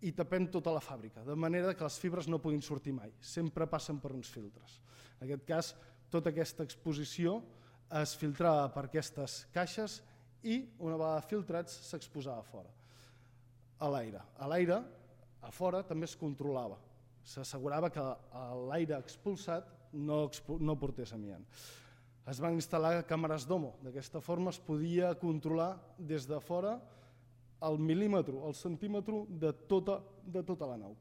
i tapem tota la fàbrica, de manera que les fibres no puguin sortir mai, sempre passen per uns filtres. En aquest cas, tota aquesta exposició es filtrava per aquestes caixes i una vegada filtrats s'exposava a fora, a l'aire. A l'aire, a fora, també es controlava. S'assegurava que l'aire expulsat no portés amiant. Es van instal·lar càmeres d'homo. D'aquesta forma es podia controlar des de fora el mil·límetre, el centímetre de tota la nau.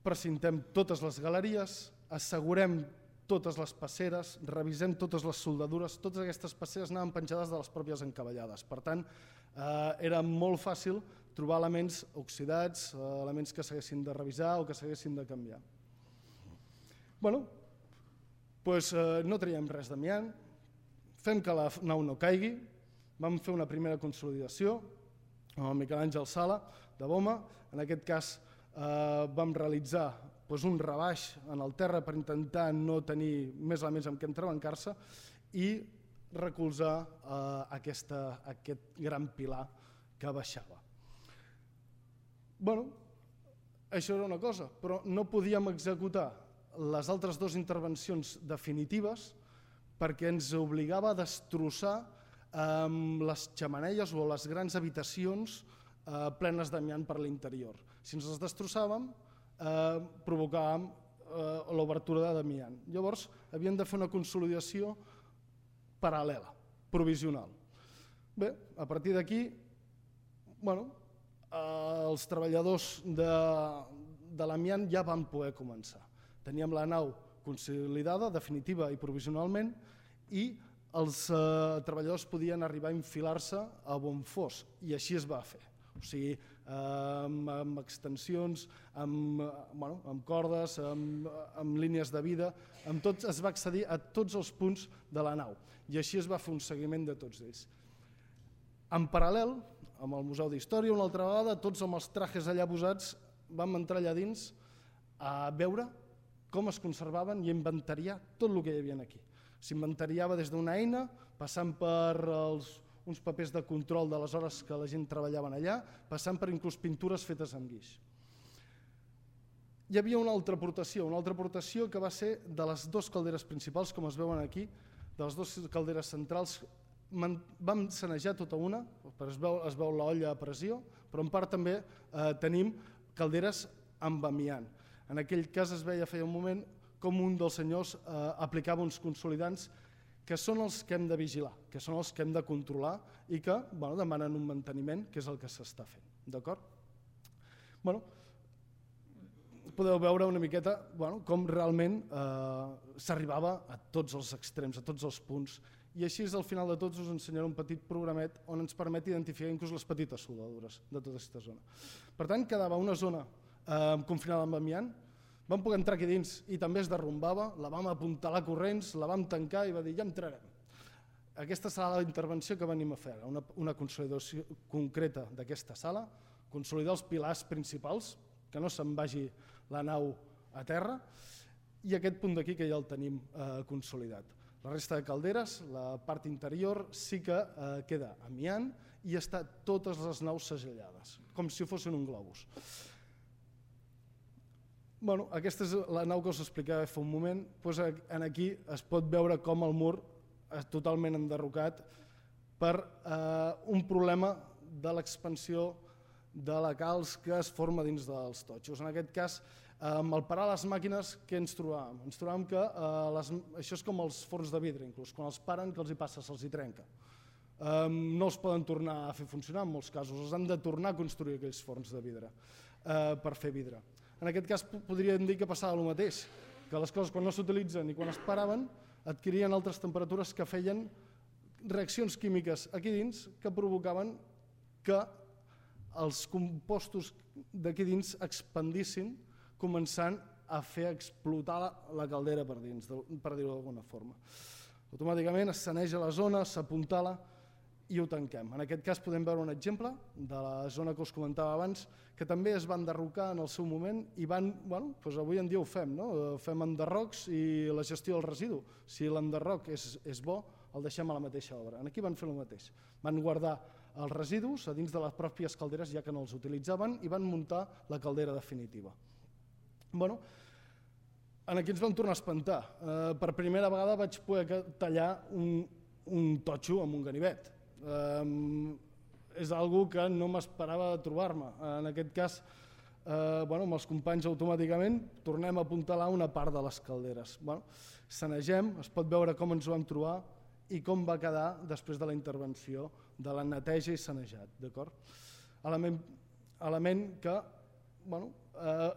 Precintem totes les galeries, assegurem totes les passeres, revisem totes les soldadures, totes aquestes passeres anaven penjades de les pròpies encavallades. Per tant, era molt fàcil trobar elements oxidats, elements que s'haguessin de revisar o que s'haguessin de canviar. Bé, doncs no traiem res d'amiant, fem que la nau no caigui, vam fer una primera consolidació amb el Miquel Àngel Sala de Boma. En aquest cas vam realitzar un rebaix en el terra per intentar no tenir més elements amb què entrebancar-se i recolzar aquest gran pilar que baixava. Bé, això era una cosa, però no podíem executar les altres dues intervencions definitives perquè ens obligava a destrossar les xemeneies o les grans habitacions plenes d'amiant per l'interior. Si ens les destrossàvem, provocàvem l'obertura d'amiant. Llavors, havíem de fer una consolidació paral·lela, provisional. Bé, a partir d'aquí, els treballadors de l'amiant ja van poder començar. Teníem la nau consolidada, definitiva i provisionalment, i els treballadors podien arribar a infilar-se a on fos, i així es va fer. O sigui, amb extensions, amb cordes, amb línies de vida, amb tot es va accedir a tots els punts de la nau, i així es va fer un seguiment de tots ells. En paral·lel, amb el Museu d'Història, una altra vegada, tots amb els trajes allà posats, vam entrar allà dins a veure com es conservaven i inventariar tot el que hi havia aquí. S'inventariava des d'una eina, passant per uns papers de control de les hores que la gent treballava allà, passant per inclús pintures fetes amb guix. Hi havia una altra aportació que va ser de les dues calderes principals, com es veuen aquí, de les dues calderes centrals. Vam sanejar tota una, es veu l'olla a pressió, però en part també tenim calderes amb amiant. En aquell cas es veia feia un moment com un dels senyors aplicava uns consolidants que són els que hem de vigilar, que són els que hem de controlar i que demanen un manteniment, que és el que s'està fent. D'acord? Podeu veure una miqueta com realment s'arribava a tots els extrems, a tots els punts, i així al final de tots us ensenyaré un petit programet on ens permet identificar inclús les petites soldadures de tota aquesta zona. Per tant, quedava una zona confinada amb amiant, vam poder entrar aquí dins i també es derrumbava, la vam apuntalar corrents, la vam tancar i va dir ja entrarem. Aquesta serà la intervenció que venim a fer, una consolidació concreta d'aquesta sala, consolidar els pilars principals, que no se'n vagi la nau a terra, i aquest punt d'aquí que ja el tenim consolidat. La resta de calderes, la part interior, sí que queda amiant i està totes les naus segellades, com si fossin un globus. Aquesta és la nau que us explicava fa un moment. Aquí es pot veure com el mur és totalment enderrocat per un problema de l'expansió de la calç que es forma dins dels totxos. En aquest cas, al parar les màquines, què ens trobàvem? Ens trobàvem que això és com els forns de vidre, inclús. Quan els paren, què els hi passa? Se'ls hi trenca. No els poden tornar a fer funcionar en molts casos, els han de tornar a construir aquells forns de vidre per fer vidre. En aquest cas podríem dir que passava el mateix, que les coses quan no s'utilitzen i quan es paraven adquirien altres temperatures que feien reaccions químiques aquí dins que provocaven que els compostos d'aquí dins expandissin, començant a fer explotar la caldera per dins, per dir-ho d'alguna forma. Automàticament es saneja la zona, s'apuntala i ho tanquem. En aquest cas podem veure un exemple de la zona que us comentava abans, que també es va enderrocar en el seu moment i van, doncs avui en dia ho fem, no? Fem enderrocs i la gestió del residu. Si l'enderroc és bo, el deixem a la mateixa obra. Aquí van fer el mateix. Van guardar els residus a dins de les pròpies calderes, ja que no els utilitzaven, i van muntar la caldera definitiva. Aquí ens vam tornar a espantar. Per primera vegada vaig poder tallar un totxo amb un ganivet. És algo que no m'esperava trobar-me. En aquest cas, amb els companys automàticament tornem a apuntalar una part de les calderes. Sanegem, es pot veure com ens ho vam trobar i com va quedar després de la intervenció de la neteja i sanejat. Element que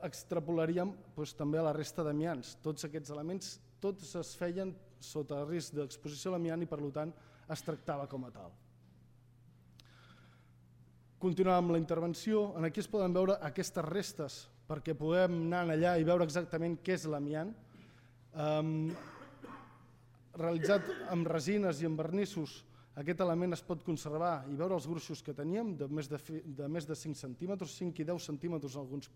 extrapolaríem també a la resta d'amiants. Tots aquests elements tots es feien sota risc d'exposició a l'amiant i per tant es tractava com a tal. Continuem amb la intervenció. Aquí es poden veure aquestes restes perquè podem anar allà i veure exactament què és l'amiant. Realitzat amb resines i amb vernissos, aquest element es pot conservar i veure els gruixos que teníem de més de 5 centímetres, 5 i 10 centímetres en alguns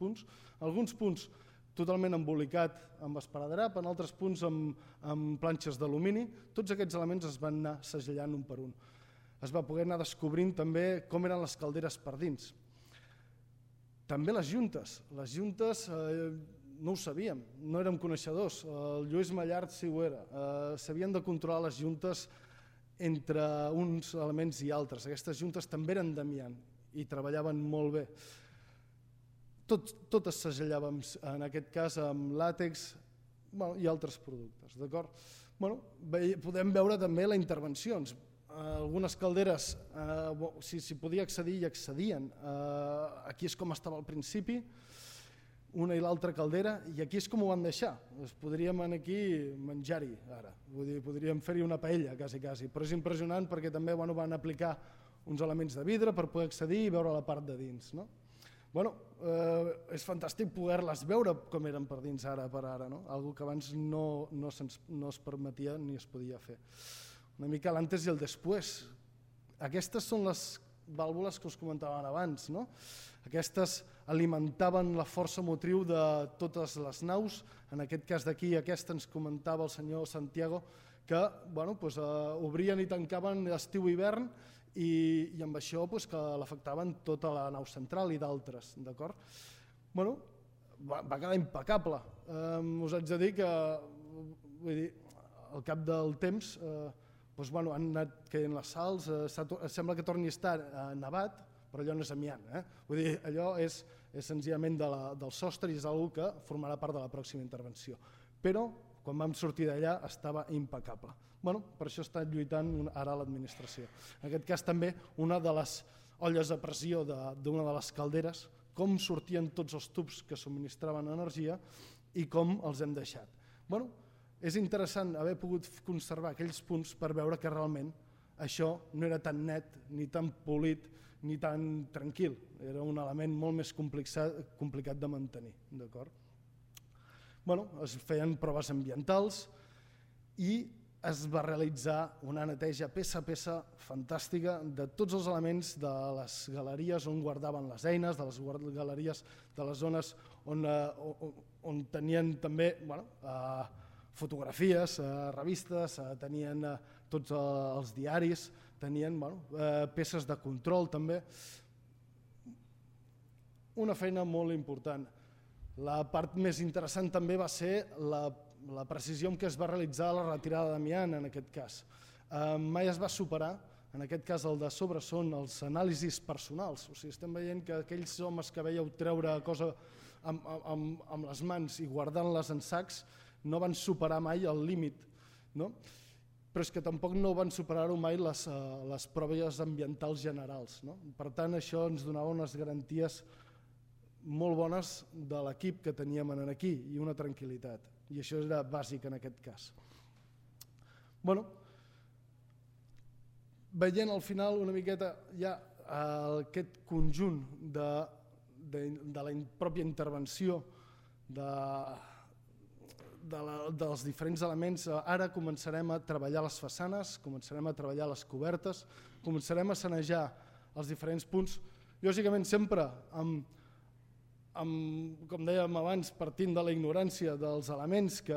punts totalment embolicat amb esparadrap, en altres punts amb planxes d'alumini. Tots aquests elements es van anar segellant un per un. Es va poder anar descobrint també com eren les calderes per dins. També les juntes. Les juntes no ho sabíem, no érem coneixedors. El Lluís Mallart sí ho era. S'havien de controlar les juntes entre uns elements i altres. Aquestes juntes també eren d'amiant i treballaven molt bé. Tot es segellava, en aquest cas, amb làtex i altres productes. Podem veure també les intervencions. Algunes calderes, si s'hi podia accedir, hi accedien. Aquí és com estava al principi, una i l'altra caldera, i aquí és com ho van deixar. Podríem aquí menjar-hi ara, podríem fer-hi una paella quasi, però és impressionant perquè també van aplicar uns elements de vidre per poder accedir i veure la part de dins. És fantàstic poder-les veure com eren per dins ara per ara, algo que abans no es permetia ni es podia fer. Una mica l'antes i el després. Aquestes són les vàlvules que us comentaven abans. Aquestes alimentaven la força motriu de totes les naus. En aquest cas d'aquí, aquesta ens comentava el senyor Santiago, que obrien i tancaven estiu i hivern i amb això que l'afectaven tota la nau central i d'altres. Va quedar impecable. Us haig de dir que al cap del temps han anat caient les sals, sembla que torni a estar nevat, però allò no és amiant. Allò és senzillament del sostre i és una cosa que formarà part de la pròxima intervenció. Però quan vam sortir d'allà estava impecable. Per això està lluitant ara l'administració. En aquest cas també una de les olles a pressió d'una de les calderes, com sortien tots els tubs que subministraven energia i com els hem deixat. És interessant haver pogut conservar aquells punts per veure que realment això no era tan net, ni tan polit, ni tan tranquil. Era un element molt més complicat de mantenir. Es feien proves ambientals i es va realitzar una neteja peça a peça fantàstica de tots els elements de les galeries on guardaven les eines, de les galeries de les zones on tenien també fotografies, revistes, tenien tots els diaris, tenien peces de control també. Una feina molt important. La part més interessant també va ser la precisió amb què es va realitzar la retirada d'amiant en aquest cas. Mai es va superar, en aquest cas el de sobre són els anàlisis personals, o sigui, estem veient que aquells homes que veieu treure cosa amb les mans i guardant-les en sacs no van superar mai el límit, però és que tampoc no van superar-ho mai les proves ambientals generals. Per tant, això ens donava unes garanties molt bones de l'equip que teníem aquí i una tranquil·litat, i això era bàsic en aquest cas. Veient al final una miqueta ja aquest conjunt de la pròpia intervenció dels diferents elements. Ara començarem a treballar les façanes, començarem a treballar les cobertes, començarem a sanejar els diferents punts, lògicament sempre com dèiem abans, partint de la ignorància dels elements que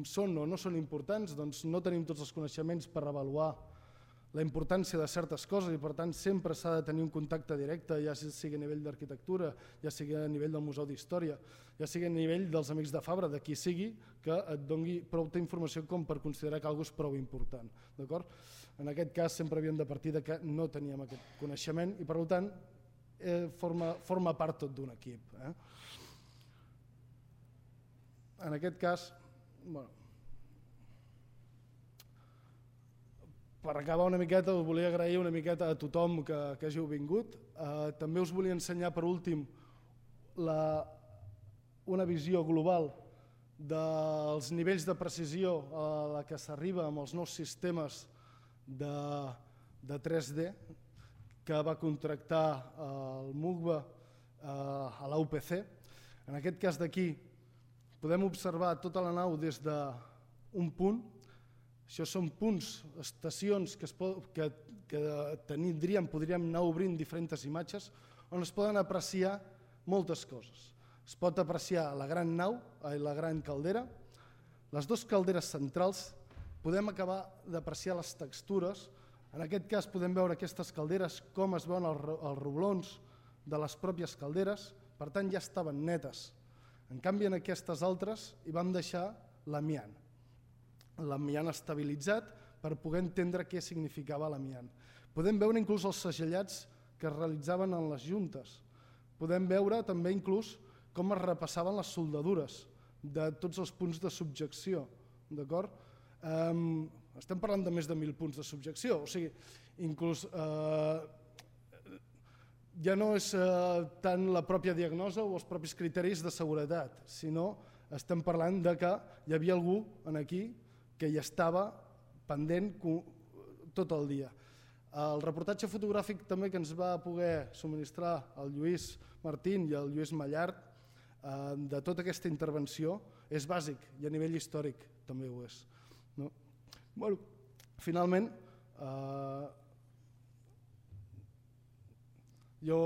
són o no són importants, doncs no tenim tots els coneixements per avaluar la importància de certes coses i per tant sempre s'ha de tenir un contacte directe, ja sigui a nivell d'arquitectura, ja sigui a nivell del Museu d'Història, ja sigui a nivell dels Amics de Fabra, de qui sigui, que et doni prou informació com per considerar que alguna cosa és prou important. En aquest cas sempre havíem de partir que no teníem aquest coneixement i per tant forma part tot d'un equip. En aquest cas, per acabar una miqueta, us volia agrair una miqueta a tothom que hàgiu vingut. També us volia ensenyar, per últim, una visió global dels nivells de precisió a la que s'arriba amb els nous sistemes de 3D que va contractar el MUCBA a la UPC. En aquest cas d'aquí podem observar tota la nau des d'un punt. Això són punts, estacions que podríem anar obrint diferents imatges on es poden apreciar moltes coses. Es pot apreciar la gran nau i la gran caldera, les dues calderes centrals, podem acabar d'apreciar les textures. En aquest cas podem veure aquestes calderes com es veuen els roblons de les pròpies calderes, per tant ja estaven netes. En canvi en aquestes altres hi vam deixar l'amiant. L'amiant estabilitzat per poder entendre què significava l'amiant. Podem veure inclús els segellats que es realitzaven en les juntes. Podem veure també inclús com es repassaven les soldadures de tots els punts de subjecció. Estem parlant de més de 1.000 punts de subjecció, o sigui, inclús ja no és tant la pròpia diagnosi o els propis criteris de seguretat, sinó estem parlant de que hi havia algú aquí que hi estava pendent tot el dia. El reportatge fotogràfic també que ens va poder subministrar el Lluís Martín i el Lluís Mallart de tota aquesta intervenció és bàsic i a nivell històric també ho és. Finalment, jo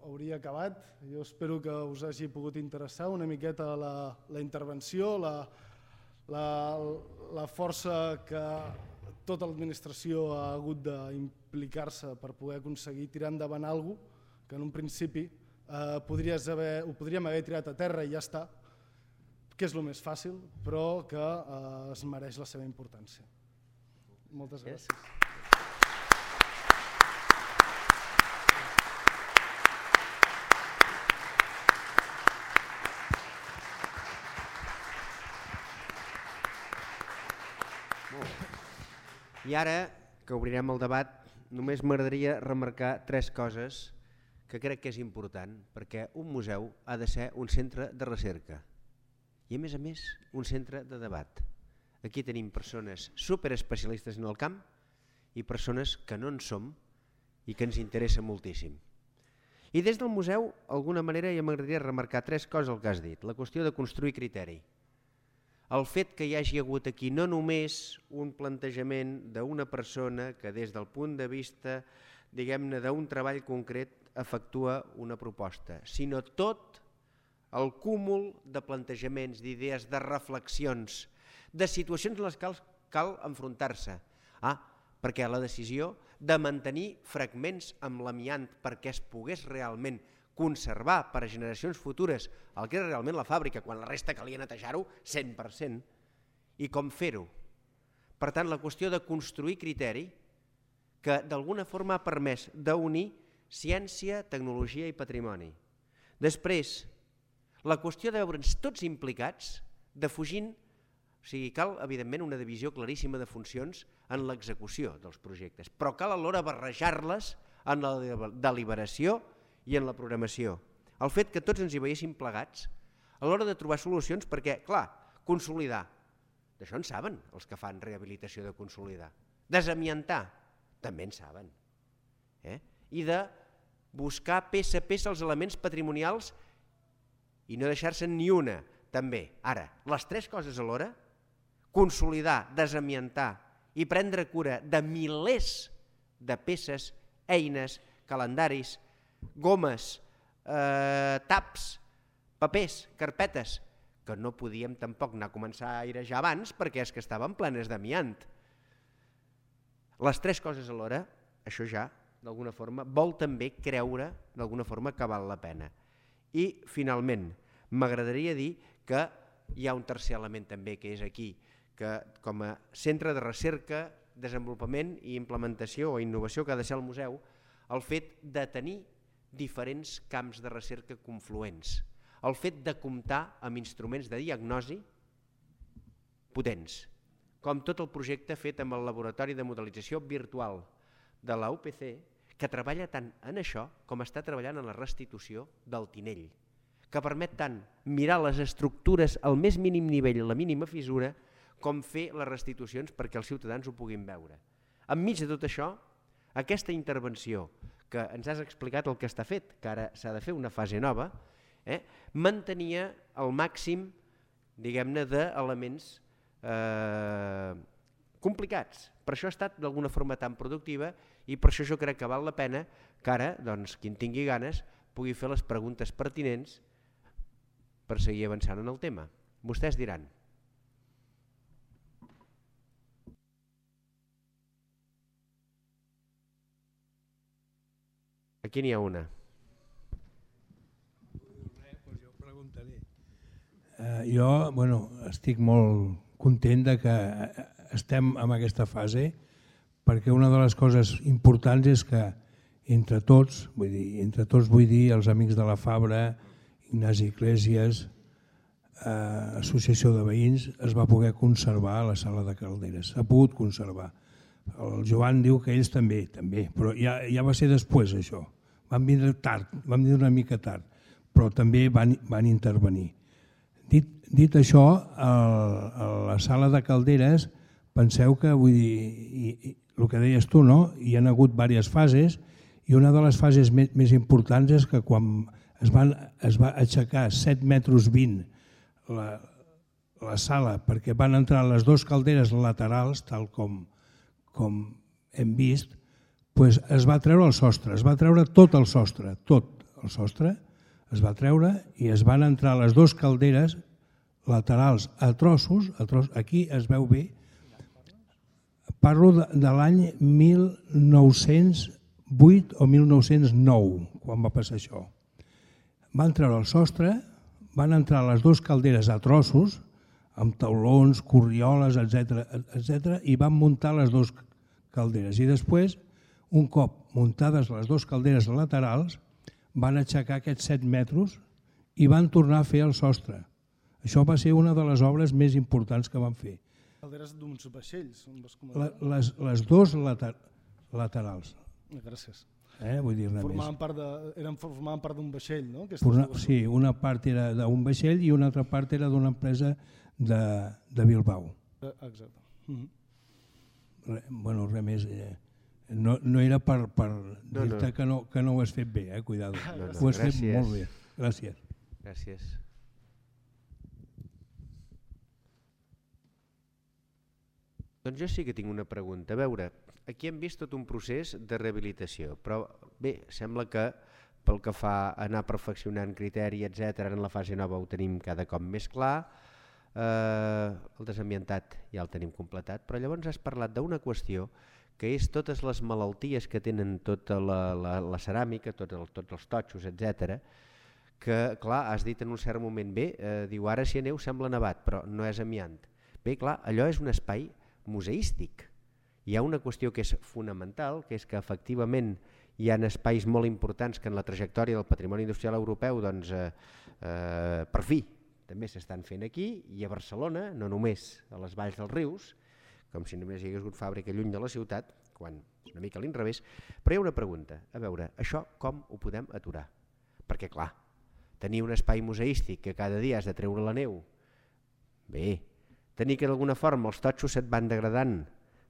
hauria acabat. Jo espero que us hagi pogut interessar una miqueta la intervenció, la força que tota l'administració ha hagut d'implicar-se per poder aconseguir tirar endavant alguna cosa que en un principi ho podríem haver tirat a terra i ja està, que és el més fàcil, però que es mereix la seva importància. Moltes gràcies. I ara, que obrirem el debat, només m'agradaria remarcar 3 coses que crec que és important, perquè un museu ha de ser un centre de recerca i, a més, un centre de debat. Aquí tenim persones superespecialistes en el camp i persones que no en som i que ens interessa moltíssim. I des del museu, d'alguna manera, ja m'agradaria remarcar 3 coses el que has dit. La qüestió de construir criteri. El fet que hi hagi hagut aquí no només un plantejament d'una persona que des del punt de vista, diguem-ne, d'un treball concret efectua una proposta, sinó tot el cúmul de plantejaments, d'idees, de reflexions, de situacions en les quals cal enfrontar-se. Perquè la decisió de mantenir fragments amb l'amiant perquè es pogués realment conservar per a generacions futures el que era realment la fàbrica, quan la resta calia netejar-ho 100%, i com fer-ho. Per tant, la qüestió de construir criteri que d'alguna forma ha permès d'unir ciència, tecnologia i patrimoni. Després, la qüestió de veure'ns tots implicats, defugint, o sigui, cal evidentment una divisió claríssima de funcions en l'execució dels projectes, però cal alhora barrejar-les en la deliberació i en la programació. El fet que tots ens hi veiéssim plegats a l'hora de trobar solucions perquè, clar, consolidar, d'això en saben els que fan rehabilitació de consolidar. Desamiantar, també en saben. I de buscar peça a peça els elements patrimonials i no deixar-se'n ni una, també. Ara, les tres coses alhora, consolidar, desamiantar i prendre cura de milers de peces, eines, calendaris, gomes, taps, papers, carpetes, que no podíem tampoc anar a començar a airejar abans perquè és que estaven plenes d'amiant. Les tres coses alhora, això ja, d'alguna forma, vol també creure d'alguna forma que val la pena. I, finalment, m'agradaria dir que hi ha un tercer element també que és aquí, que com a centre de recerca, desenvolupament i implementació o innovació que ha de ser el museu, el fet de tenir diferents camps de recerca confluents, el fet de comptar amb instruments de diagnosi potents, com tot el projecte fet amb el Laboratori de Modelització Virtual de la UPC, que treballa tant en això com està treballant en la restitució del Tinell, que permet tant mirar les estructures al més mínim nivell, la mínima fissura, com fer les restitucions perquè els ciutadans ho puguin veure. Enmig de tot això, aquesta intervenció que ens has explicat el que està fet, que ara s'ha de fer una fase nova, mantenia el màxim, diguem-ne, d'elements complicats. Per això ha estat d'alguna forma tan productiva i per això jo crec que val la pena que ara, doncs, qui en tingui ganes, pugui fer les preguntes pertinents per seguir avançant en el tema. Vostès diran. Aquí n'hi ha una. Jo preguntaré. Jo estic molt content de que estem en aquesta fase perquè una de les coses importants és que entre tots vull dir els amics de la Fabra, Ignasi Iglesias, Associació de Veïns, es va poder conservar la sala de Calderes, s'ha pogut conservar. El Joan diu que ells també, però ja va ser després això. Van vindre tard, van vindre una mica tard, però també van intervenir. Dit això, a la sala de Calderes, penseu que, vull dir, el que deies tu, no? Hi ha hagut diverses fases i una de les fases més importants és que quan es va aixecar 7,20 metres la sala perquè van entrar les dues calderes laterals, tal com hem vist, es va treure el sostre, es va treure tot el sostre es va treure i es van entrar les dues calderes laterals a trossos, aquí es veu bé, parlo de l'any 1908 o 1909, quan va passar això. Van treure el sostre, van entrar les dues calderes a trossos, amb taulons, corrioles, etc. i van muntar les dues calderes. I després, un cop muntades les dues calderes laterals, van aixecar aquests 7 metres i van tornar a fer el sostre. Això va ser una de les obres més importants que van fer. Calderes d'uns vaixells? Les dues laterals. Gràcies. Vull dir-ne més. Formaven part d'un vaixell, no? Sí, una part era d'un vaixell i una altra part era d'una empresa de Bilbao. Exacte. Res més. No era per dir-te que no ho has fet bé, cuidado. Ho has fet molt bé. Gràcies. Gràcies. Doncs jo sí que tinc una pregunta. A veure, aquí hem vist tot un procés de rehabilitació, però bé, sembla que pel que fa a anar perfeccionant criteri, etc., en la fase nova ho tenim cada cop més clar, el desambientat ja el tenim completat, però llavors has parlat d'una qüestió que és totes les malalties que tenen tota la ceràmica, tots els totxos, etc., que, clar, has dit en un cert moment, bé, diu, ara si aneu sembla nevat, però no és amiant. Bé, clar, allò és un espai museístic. Hi ha una qüestió que és fonamental, que és que efectivament hi ha espais molt importants que en la trajectòria del patrimoni industrial europeu, doncs, per fi, també s'estan fent aquí i a Barcelona, no només a les valls dels rius, com si només hi hagués hagut fàbrica lluny de la ciutat, quan és una mica a l'inrevés, però hi ha una pregunta, a veure, això com ho podem aturar? Perquè, clar, tenir un espai museístic que cada dia has de treure la neu, bé, tenir que d'alguna forma els totxos se't van degradant,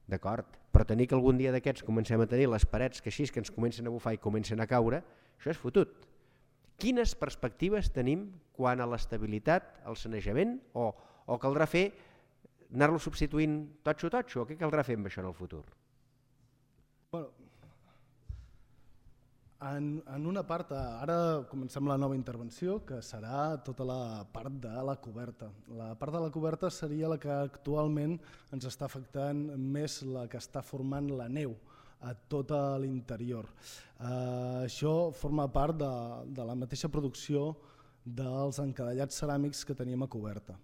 d'acord, però tenir que algun dia d'aquests comencem a tenir les parets que així que ens comencen a bufar i comencen a caure, això és fotut. quines perspectives tenim quant a l'estabilitat, al sanejament, o caldrà fer anar-lo substituint totxo, o què caldrà fer amb això en el futur? Bueno, en una part, ara comencem la nova intervenció, que serà tota la part de la coberta. La part de la coberta seria la que actualment ens està afectant més, la que està formant la neu a tot l'interior. Això forma part de la mateixa producció dels encadellats ceràmics que teníem a coberta.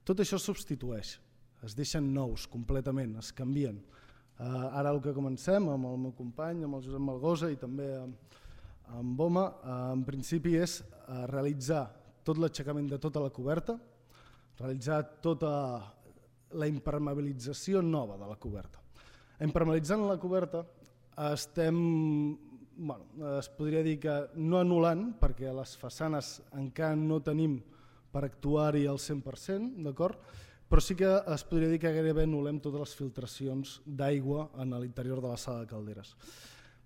Tot això es substitueix, es deixen nous completament, es canvien. Ara el que comencem amb el meu company, amb el Josep Malgosa i també amb Boma, en principi és realitzar tot l'aixecament de tota la coberta, realitzar tota la impermeabilització nova de la coberta. Impermeabilitzant la coberta estem, es podria dir que no anul·lant, perquè les façanes encara no tenim per actuar-hi al 100%, d'acord? Però sí que es podria dir que gairebé anul·lem totes les filtracions d'aigua en l'interior de la sala de calderes.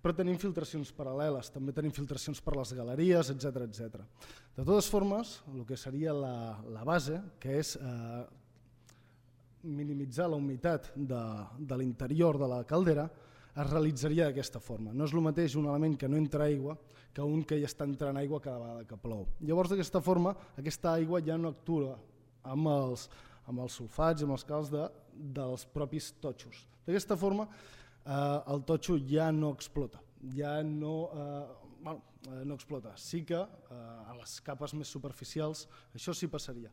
Però tenim filtracions paral·leles, també tenim filtracions per les galeries, etc. De totes formes, el que seria la base, que és minimitzar la humitat de l'interior de la caldera, es realitzaria d'aquesta forma. No és el mateix un element que no entra aigua que un que ja està entrant aigua cada vegada que plou. Llavors, d'aquesta forma, aquesta aigua ja no actua amb els sulfats i amb els calç dels propis totxos. D'aquesta forma, el totxo ja no explota, no explota. Sí que a les capes més superficials això sí passaria,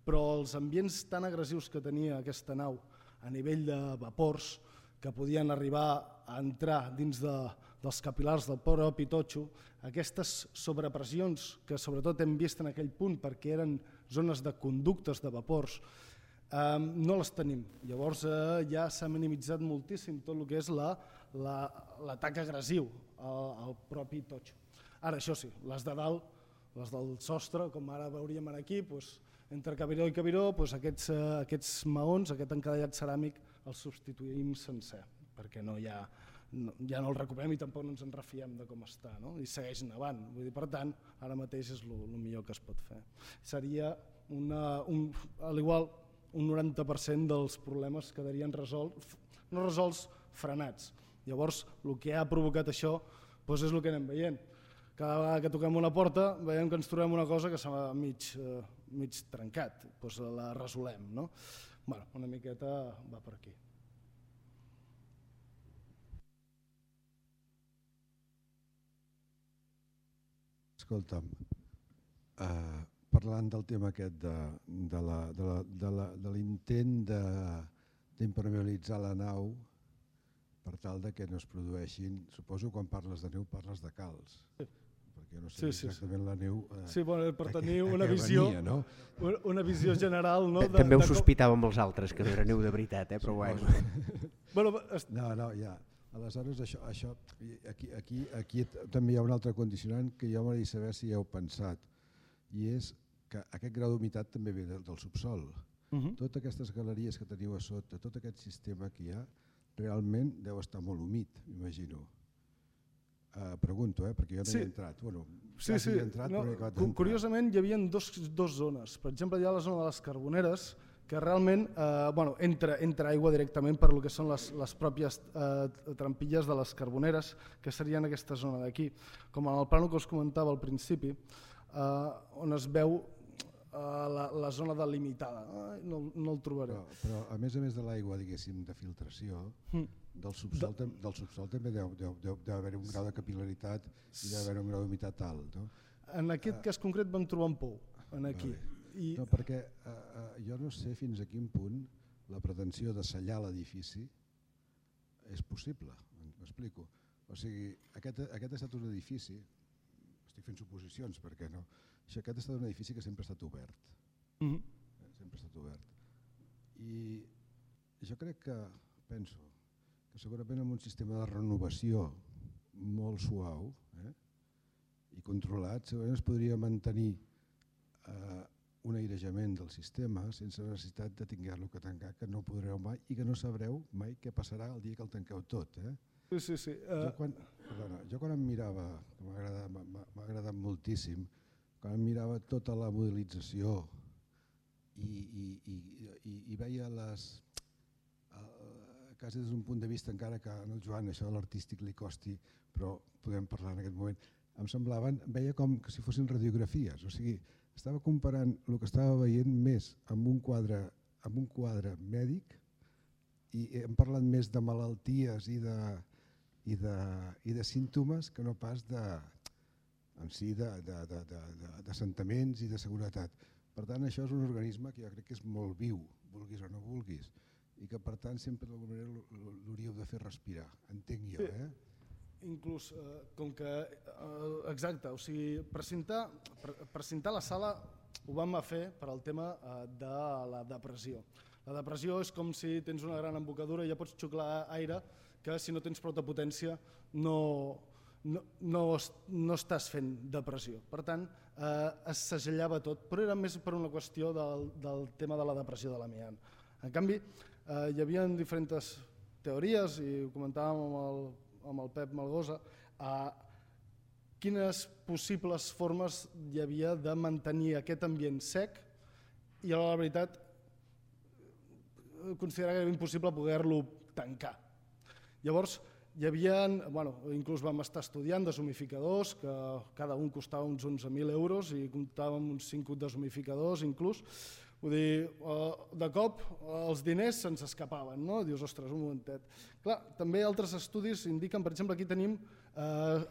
però els ambients tan agressius que tenia aquesta nau a nivell de vapors que podien arribar a entrar dins dels capil·lars del propi totxo, aquestes sobrepressions que sobretot hem vist en aquell punt perquè eren zones de conductes de vapors, no les tenim. Llavors ja s'ha minimitzat moltíssim tot el que és l'atac agressiu al propi totxo. Ara, això sí, les de dalt, les del sostre, com ara veuríem aquí, entre cabiró i cabiró, aquests maons, aquest encadellat ceràmic, els substituïm sencer, perquè ja no el recuperem i tampoc no ens en refiem de com està, i segueix nevant. Per tant, ara mateix és el millor que es pot fer. Seria, a l'igual, un 90% dels problemes quedarien no resolts, frenats. Llavors, el que ha provocat això és el que anem veient. Cada vegada que toquem una porta veiem que ens trobem una cosa que s'ha mig trencat, la resolem. Una miqueta va per aquí. Escolta'm, parlant del tema aquest de l'intent d'impermeabilitzar la nau per tal que no es produeixin, suposo quan parles de neu parles de calç, perquè no sé exactament la neu... Sí, per tenir una visió general... També ho sospitàvem els altres, que no era neu de veritat, però bueno. No, ja. Aleshores, aquí també hi ha un altre condicionant que jo m'agradaria saber si hi heu pensat, i és que aquest grau d'humitat també ve del subsol. Totes aquestes galeries que teniu a sota, tot aquest sistema que hi ha, realment deu estar molt humit, m'imagino. Pregunto, perquè jo no hi he entrat. Curiosament hi havia dues zones. Per exemple, hi ha la zona de les Carboneres, que realment entra aigua directament per lo que són les pròpies trampilles de les Carboneres, que serien aquesta zona d'aquí. Com en el plànol que us comentava al principi, on es veu la zona delimitada. No el trobaré. Però a més de l'aigua, diguéssim, de filtració, del subsol també deu haver un grau de capil·laritat i deu haver un grau d'humitat alt. En aquest cas concret vam trobar un pou, aquí. No, perquè jo no sé fins a quin punt la pretensió de sellar l'edifici és possible, m'explico. O sigui, aquest ha estat un edifici, estic fent suposicions perquè no, aquest ha estat un edifici que sempre ha estat obert. Sempre ha estat obert. I jo crec penso que segurament amb un sistema de renovació molt suau i controlat, segurament es podria mantenir un airejament del sistema sense necessitat de tinguer-lo que tancar, que no podreu mai i que no sabreu mai què passarà el dia que el tanqueu tot. Sí. Jo quan em mirava, que m'ha agradat moltíssim, quan mirava tota la modelització i veia les, quasi des d'un punt de vista, encara que en el Joan això de l'artístic li costi, però podem parlar en aquest moment, em semblaven, veia com que si fossin radiografies, o sigui, estava comparant el que estava veient més amb un quadre mèdic i hem parlat més de malalties i de símptomes que no pas en si d'assentaments i de seguretat. Per tant, això és un organisme que jo crec que és molt viu, vulguis o no vulguis, i que per tant sempre d'alguna manera l'hauríeu de fer respirar, entenc jo. Inclús, com que, exacte, o sigui, precintar la sala ho vam fer per al tema de la depressió. La depressió és com si tens una gran embocadura i ja pots xuclar aire que si no tens prou potència no estàs fent depressió. Per tant, es segellava tot, però era més per una qüestió del tema de la depressió de l'amiant. En canvi, hi havia diferents teories, i ho comentàvem amb el Pep Malgosa, quines possibles formes hi havia de mantenir aquest ambient sec i a la veritat considerava que era impossible poder-lo tancar. Llavors, hi havia, inclús vam estar estudiant deshumificadors, que cada un costava uns 11.000 euros i comptàvem uns 5 deshumificadors inclús. Vull dir, de cop els diners se'ns escapaven, no? Dius, ostres, un momentet. Clar, també altres estudis indiquen, per exemple, aquí tenim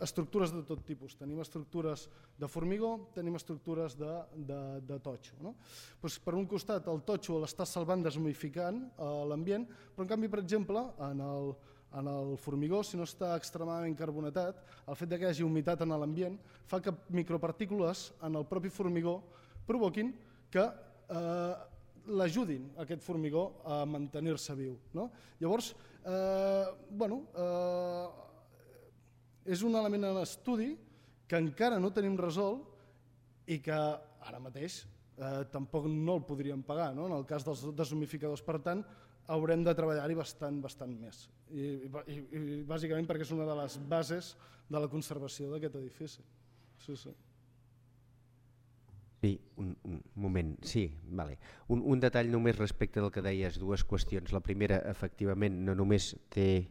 estructures de tot tipus. Tenim estructures de formigó, tenim estructures de totxo. Per un costat, el totxo l'està salvant deshumificant l'ambient, però en canvi, per exemple, en el formigó, si no està extremadament carbonatat, el fet que hi hagi humitat en l'ambient fa que micropartícules en el propi formigó provoquin que l'ajudin aquest formigó a mantenir-se viu. Llavors, és un element en estudi que encara no tenim resolt i que ara mateix tampoc no el podríem pagar en el cas dels deshumificadors. Per tant, haurem de treballar-hi bastant més. I bàsicament perquè és una de les bases de la conservació d'aquest edifici. Sí. Sí, un moment, sí, vale. Un detall només respecte del que deies, dues qüestions. La primera, efectivament, no només té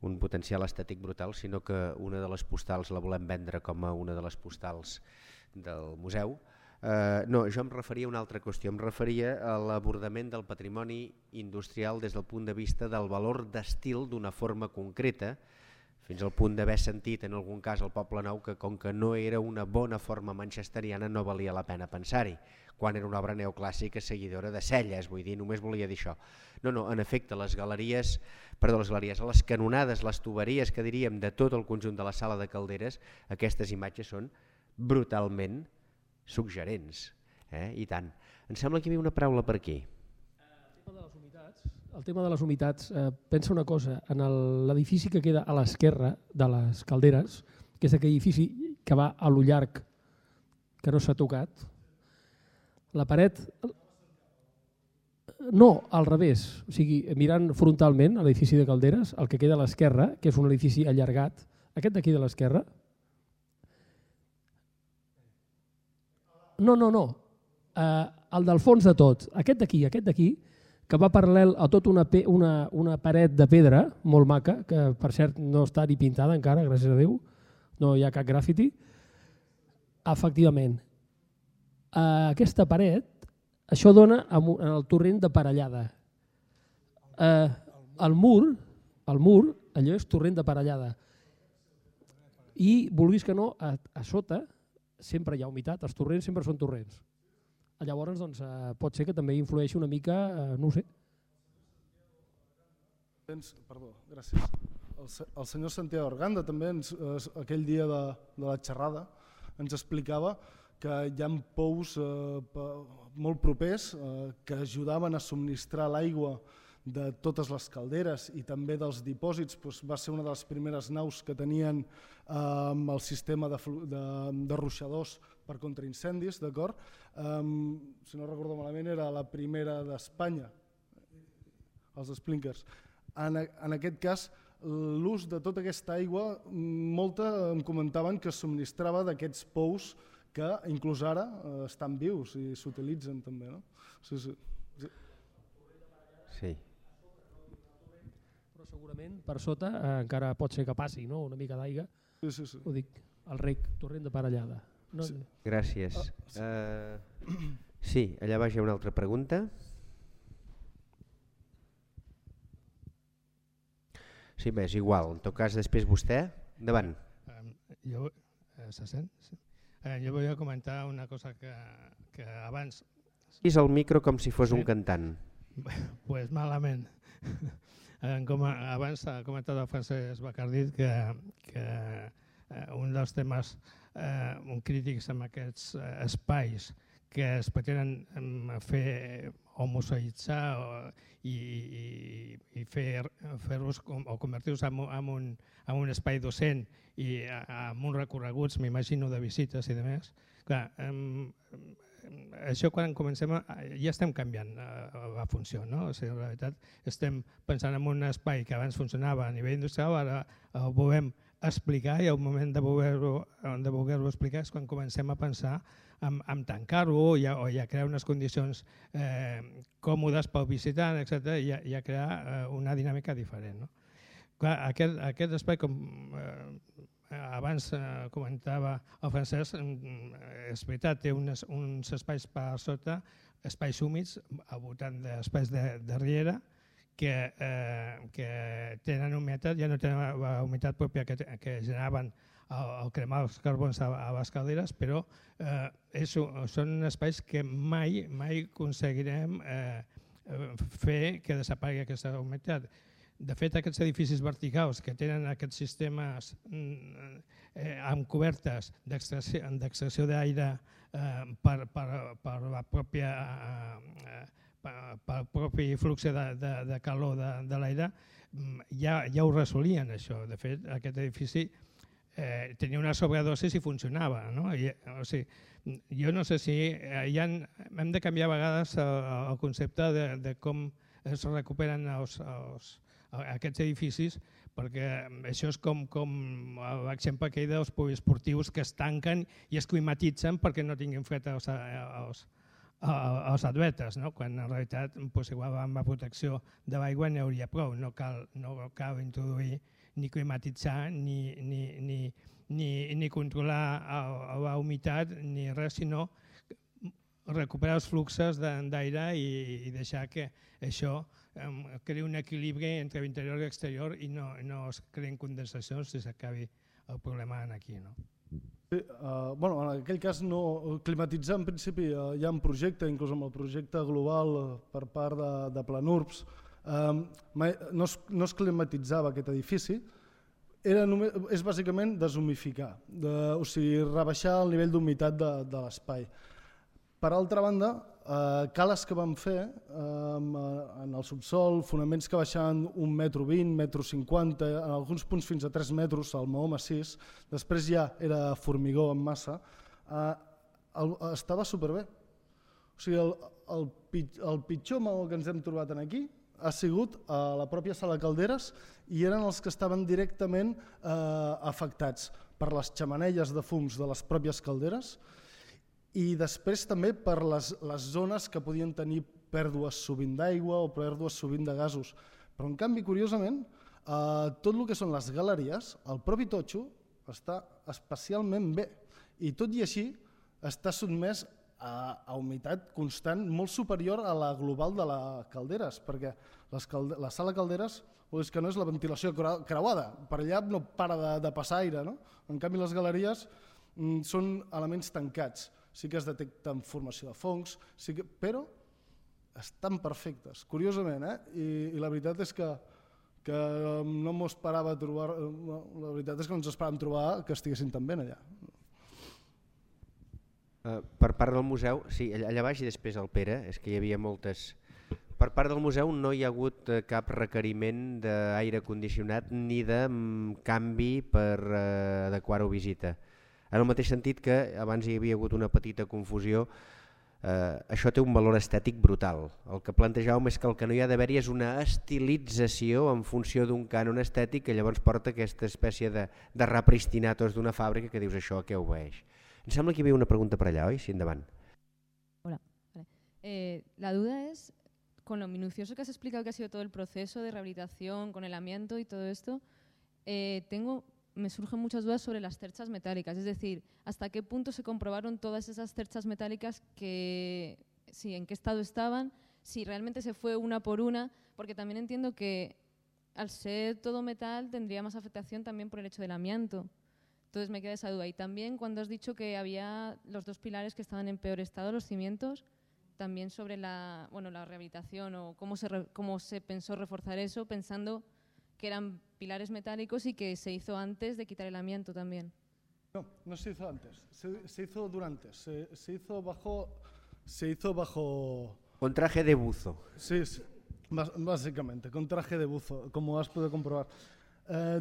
un potencial estètic brutal, sinó que una de les postals la volem vendre com a una de les postals del museu. No, jo em referia a una altra qüestió, em referia a l'abordament del patrimoni industrial des del punt de vista del valor d'estil d'una forma concreta, fins al punt d'haver sentit en algun cas al Poble Nou que com que no era una bona forma manchesteriana no valia la pena pensar-hi, quan era una obra neoclàssica seguidora de Celles, vull dir, només volia dir això. No, en efecte, les canonades, les tuberies que diríem de tot el conjunt de la sala de Calderes, aquestes imatges són brutalment suggerents, i tant. Em sembla que hi havia una paraula per aquí. El tema de les humitats, pensa una cosa, en l'edifici que queda a l'esquerra de les Calderes, que és aquell edifici que va a lo llarg, que no s'ha tocat, la paret... No, al revés, o sigui, mirant frontalment a l'edifici de Calderes, el que queda a l'esquerra, que és un edifici allargat, aquest d'aquí de l'esquerra... No, el del fons de tot, aquest d'aquí, que va paral·lel a tota una paret de pedra molt maca, que per cert no està ni pintada encara, gràcies a Déu, no hi ha cap grafiti. Efectivament, aquesta paret, això dona en el torrent de Parellada. El mur, allò és torrent de Parellada. I, vulguis que no, a sota sempre hi ha humitat, els torrents sempre són torrents. Llavors, pot ser que també influeixi una mica, no ho sé. Perdó, gràcies. El senyor Santiago Arganda també, aquell dia de la xerrada, ens explicava que hi ha pous molt propers que ajudaven a subministrar l'aigua de totes les calderes i també dels dipòsits. Va ser una de les primeres naus que tenien el sistema de ruixadors per contraincendis, d'acord? Si no recordo malament, era la primera d'Espanya, els sprinkers. En aquest cas, l'ús de tota aquesta aigua, molta em comentaven que es subministrava d'aquests pous que inclús ara estan vius i s'utilitzen també. No? Sí. Però segurament per sota encara pot ser que passi, no? Una mica d'aigua. Sí. Ho dic, el rec, torrent de Parellada. No? Sí. Gràcies. Sí, allà baix hi ha una altra pregunta. Sí, bé, és igual. En tot cas, després vostè. Endavant. Se sent? Sí. Jo volia comentar una cosa que abans... És el micro com si fos un cantant. Pues malament. Com abans ha comentat el Francesc Bacardit que un dels temes crítics amb aquests espais que es pretenen fer homoseïtzar i fer-los o convertir-los en un espai docent i amb uns recorreguts, m'imagino, de visites i demés. Clar, això quan comencem ja estem canviant la funció, no? O sigui, en realitat estem pensant en un espai que abans funcionava a nivell industrial, ara ho volem explicar i el moment de voler-ho explicar és quan comencem a pensar en tancar-ho o a crear unes condicions còmodes pel visitant, etc., i a crear una dinàmica diferent. No? Clar, aquest espai, com abans comentava el Francesc, és veritat, té uns espais per sota, espais húmids al voltant d'espais de riera, que tenen humitat, ja no tenen la humitat pròpia que generaven al cremar els carbons a les calderes, però són espais que mai aconseguirem fer que desaparegui aquesta humitat. De fet, aquests edificis verticals que tenen aquests sistemes amb cobertes d'extracció d'aire per la pròpia pel propi flux de calor de l'aire, ja ho resolien això. De fet, aquest edifici tenia una sobredosis i funcionava. No? O sigui, jo no sé si hem de canviar a vegades el concepte de com es recuperen aquests edificis, perquè això és com l'exemple que hi ha dels poliesportius que es tanquen i es climatitzen perquè no tinguin fred els atletes, no? Quan en realitat igual amb la protecció de l'aigua n'hi hauria prou, no cal introduir ni climatitzar ni controlar la humitat ni res, sinó recuperar els fluxos d'aire i deixar que això creï un equilibri entre l'interior i l'exterior i no es creïn condensacions i s'acabi el problema aquí. Sí, en aquell cas climatitzar en principi hi ha un projecte, inclús amb el projecte global per part de Planurps, no es climatitzava aquest edifici, és bàsicament deshumificar, o sigui, rebaixar el nivell d'humitat de l'espai. Per altra banda, cales que vam fer en el subsol, fonaments que baixaven 1,20 m, 1,50 m, en alguns punts fins a 3 metres, al maó massís, després ja era formigó en massa, estava superbé. O sigui, el pitjor maó que ens hem trobat aquí ha sigut a la pròpia sala Calderes i eren els que estaven directament afectats per les xemeneies de fums de les pròpies calderes i després també per les zones que podien tenir pèrdues sovint d'aigua o pèrdues sovint de gasos. Però en canvi, curiosament, tot el que són les galeries, el propi totxo està especialment bé i tot i així està sotmès a humitat constant molt superior a la global de la Calderes, perquè la sala Calderes és que no és la ventilació creuada, per allà no para de passar aire, no? En canvi les galeries són elements tancats, sí que es detecten formació de fongs, però estan perfectes, curiosament, i la veritat és que no m'ho esperava trobar, la veritat és que no ens esperàvem trobar que estiguessin tan bé allà. Per part del museu, sí, allà baix i després el Pere, és que hi havia moltes... Per part del museu no hi ha hagut cap requeriment d'aire condicionat ni de canvi per adequar-ho a visita. En el mateix sentit que abans hi havia hagut una petita confusió, això té un valor estètic brutal. El que plantejàvem és que el que no hi ha d'haver-hi és una estilització en funció d'un cànon estètic que llavors porta aquesta espècie de repristinar tots d'una fàbrica que dius això a què obeeix. Em sembla que hi havia una pregunta per allà, oi? Sí, endavant. Hola. Vale. La duda es, con lo minucioso que has explicado que ha sido todo el proceso de rehabilitación, con el amianto y todo esto, me surgen muchas dudas sobre las cerchas metálicas. Es decir, ¿hasta qué punto se comprobaron todas esas cerchas metálicas en qué estado estaban? Si realmente se fue una por una, porque también entiendo que al ser todo metal tendría más afectación también por el hecho del amianto. Entonces me queda esa duda. Y también cuando has dicho que había los 2 pilares que estaban en peor estado, los cimientos, también sobre la rehabilitación o cómo se pensó reforzar eso, pensando que eran pilares metálicos y que se hizo antes de quitar el amianto también. No se hizo antes, se hizo durante, se hizo bajo... Con traje de buzo. Sí, básicamente, con traje de buzo, como has podido comprobar.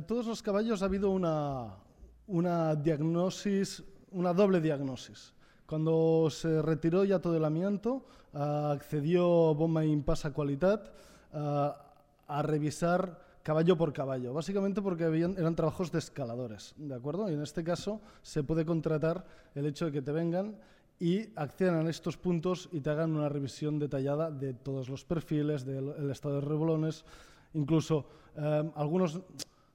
Todos los caballos ha habido una diagnosis, una doble diagnosis. Cuando se retiró ya todo el amianto, accedió Bomba Impasa Qualitat a revisar caballo por caballo, básicamente porque eran trabajos de escaladores, ¿de acuerdo? Y en este caso se puede contratar el hecho de que te vengan y accedan a estos puntos y te hagan una revisión detallada de todos los perfiles, del estado de rebolones, incluso algunos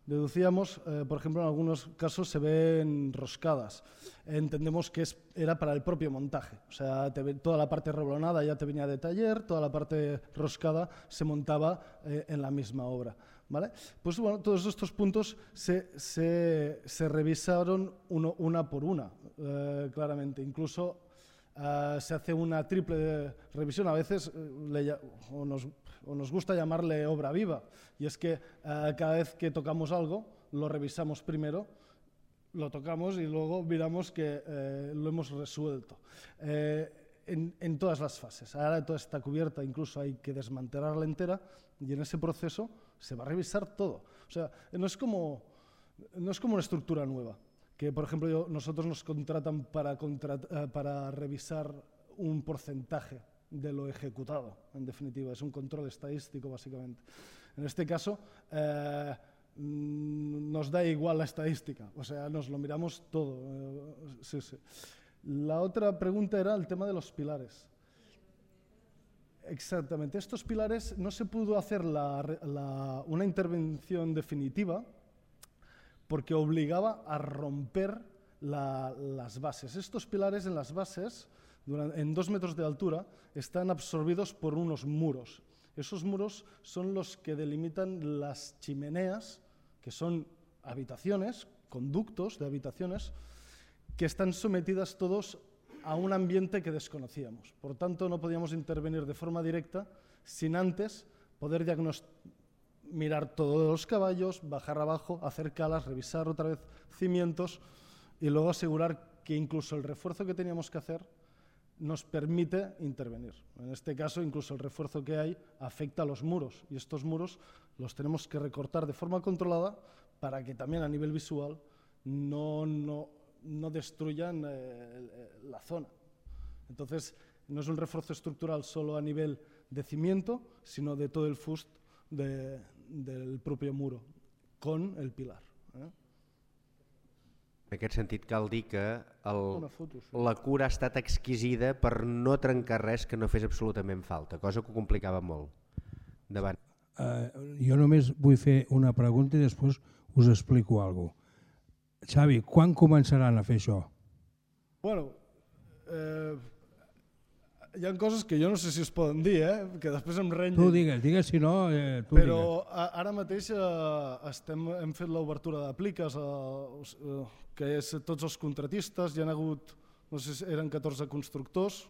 deducíamos, por ejemplo, en algunos casos se ven roscadas. Entendemos que era para el propio montaje, o sea, toda la parte rebolonada ya te venía de taller, toda la parte roscada se montaba en la misma obra. ¿Vale? Pues bueno, todos estos puntos se revisaron una por una, claramente. Incluso se hace una triple revisión, a veces nos gusta llamarle obra viva, y es que cada vez que tocamos algo, lo revisamos primero, lo tocamos y luego miramos que lo hemos resuelto. En todas las fases. Ahora toda está cubierta, incluso hay que desmantelarla entera, y en ese proceso se va a revisar todo. O sea, no es como una estructura nueva, que por ejemplo nosotros nos contratan para revisar un porcentaje de lo ejecutado, en definitiva, es un control estadístico básicamente. En este caso nos da igual la estadística, o sea, nos lo miramos todo. Sí. La otra pregunta era el tema de los pilares. Exactamente, estos pilares no se pudo hacer una intervención definitiva porque obligaba a romper las bases. Estos pilares en las bases, en 2 metros de altura, están absorbidos por unos muros. Esos muros son los que delimitan las chimeneas, que son habitaciones, conductos de habitaciones, que están sometidas todos a un ambiente que desconocíamos. Por tanto, no podíamos intervenir de forma directa sin antes poder mirar todos los caballos, bajar abajo, hacer calas, revisar otra vez cimientos y luego asegurar que incluso el refuerzo que teníamos que hacer nos permite intervenir. En este caso, incluso el refuerzo que hay afecta a los muros y estos muros los tenemos que recortar de forma controlada para que también a nivel visual no destruyan la zona. Entonces, no es un refuerzo estructural solo a nivel de cimiento, sino de todo el fust del propio muro, con el pilar. En aquest sentit cal dir que foto, sí. la cura ha estat exquisida per no trencar res que no fes absolutament falta, cosa que ho complicava molt. Endavant. Jo només vull fer una pregunta i després us explico alguna cosa. Xavi, quan començaran a fer això? Bueno, hi ha coses que jo no sé si es poden dir, que després em renyen. Tu digues, si no, tu Però digues. ara mateix hem fet l'obertura d'apliques, que és tots els contratistes, hi ha hagut, no sé si eren 14 constructors,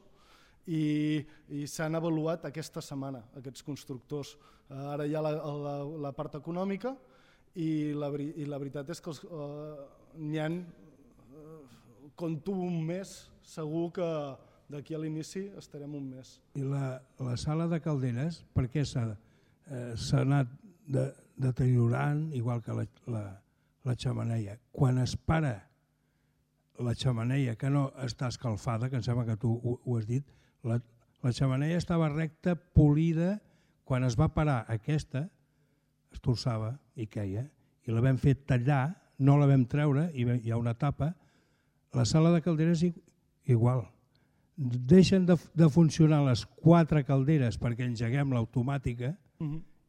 i s'han avaluat aquesta setmana, aquests constructors. Ara hi ha la part econòmica i la veritat és que n'hi ha, compto un mes, segur que d'aquí a l'inici estarem un mes. I la sala de calderes, per què s'ha anat deteriorant, igual que la xemeneia? Quan es para la xemeneia, que no està escalfada, que em sembla que tu ho has dit, la xemeneia estava recta, polida, quan es va parar aquesta, es torçava i queia, i la vam fer tallar, no la vam treure, hi ha una tapa, La sala de calderes igual. Deixen de funcionar les 4 calderes perquè engeguem l'automàtica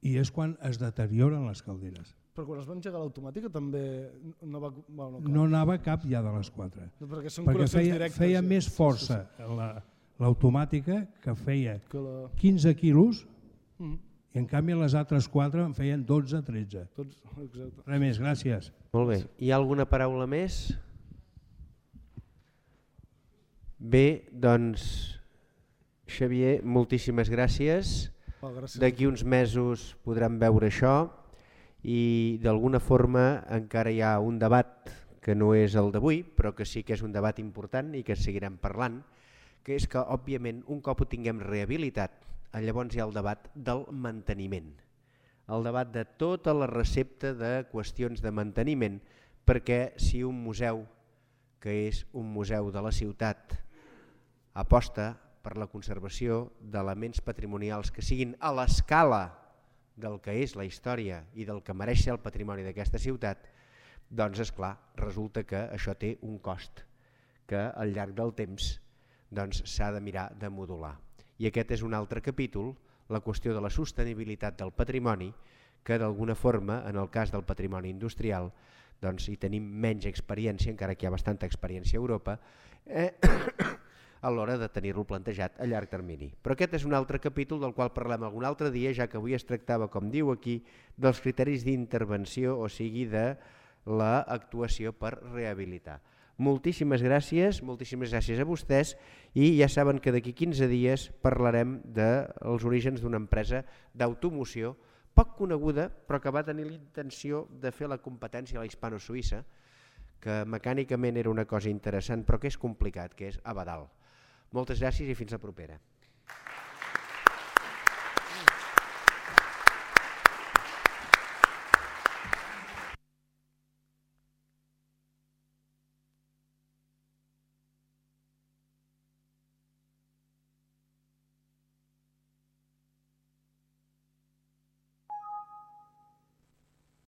i és quan es deterioren les calderes. Però quan es va engegar l'automàtica també no va... No anava cap ja de les 4. Perquè feia més força l'automàtica, que feia 15 quilos, i en canvi les altres 4 en feien 12-13. Res més, gràcies. Molt bé. Hi ha alguna paraula més? Bé, doncs, Xavier, moltíssimes gràcies. D'aquí uns mesos podrem veure això i d'alguna forma encara hi ha un debat que no és el d'avui, però que sí que és un debat important i que seguirem parlant, que és que, òbviament, un cop ho tinguem rehabilitat, llavors hi ha el debat del manteniment. El debat de tota la recepta de qüestions de manteniment, perquè si un museu, que és un museu de la ciutat, aposta per la conservació d'elements patrimonials que siguin a l'escala del que és la història i del que mereix ser el patrimoni d'aquesta ciutat, doncs és clar, resulta que això té un cost que al llarg del temps s'ha de mirar de modular. I aquest és un altre capítol, la qüestió de la sostenibilitat del patrimoni, que d'alguna forma, en el cas del patrimoni industrial, hi tenim menys experiència, encara que hi ha bastanta experiència a Europa, a l'hora de tenir-lo plantejat a llarg termini. Però aquest és un altre capítol del qual parlem algun altre dia, ja que avui es tractava, com diu aquí, dels criteris d'intervenció, o sigui, de l'actuació per rehabilitar. Moltíssimes gràcies a vostès i ja saben que d'aquí 15 dies parlarem dels orígens d'una empresa d'automoció poc coneguda, però que va tenir la intenció de fer la competència a la hispano-suïssa, que mecànicament era una cosa interessant, però que és complicat, que és Abadal. Moltes gràcies i fins la propera.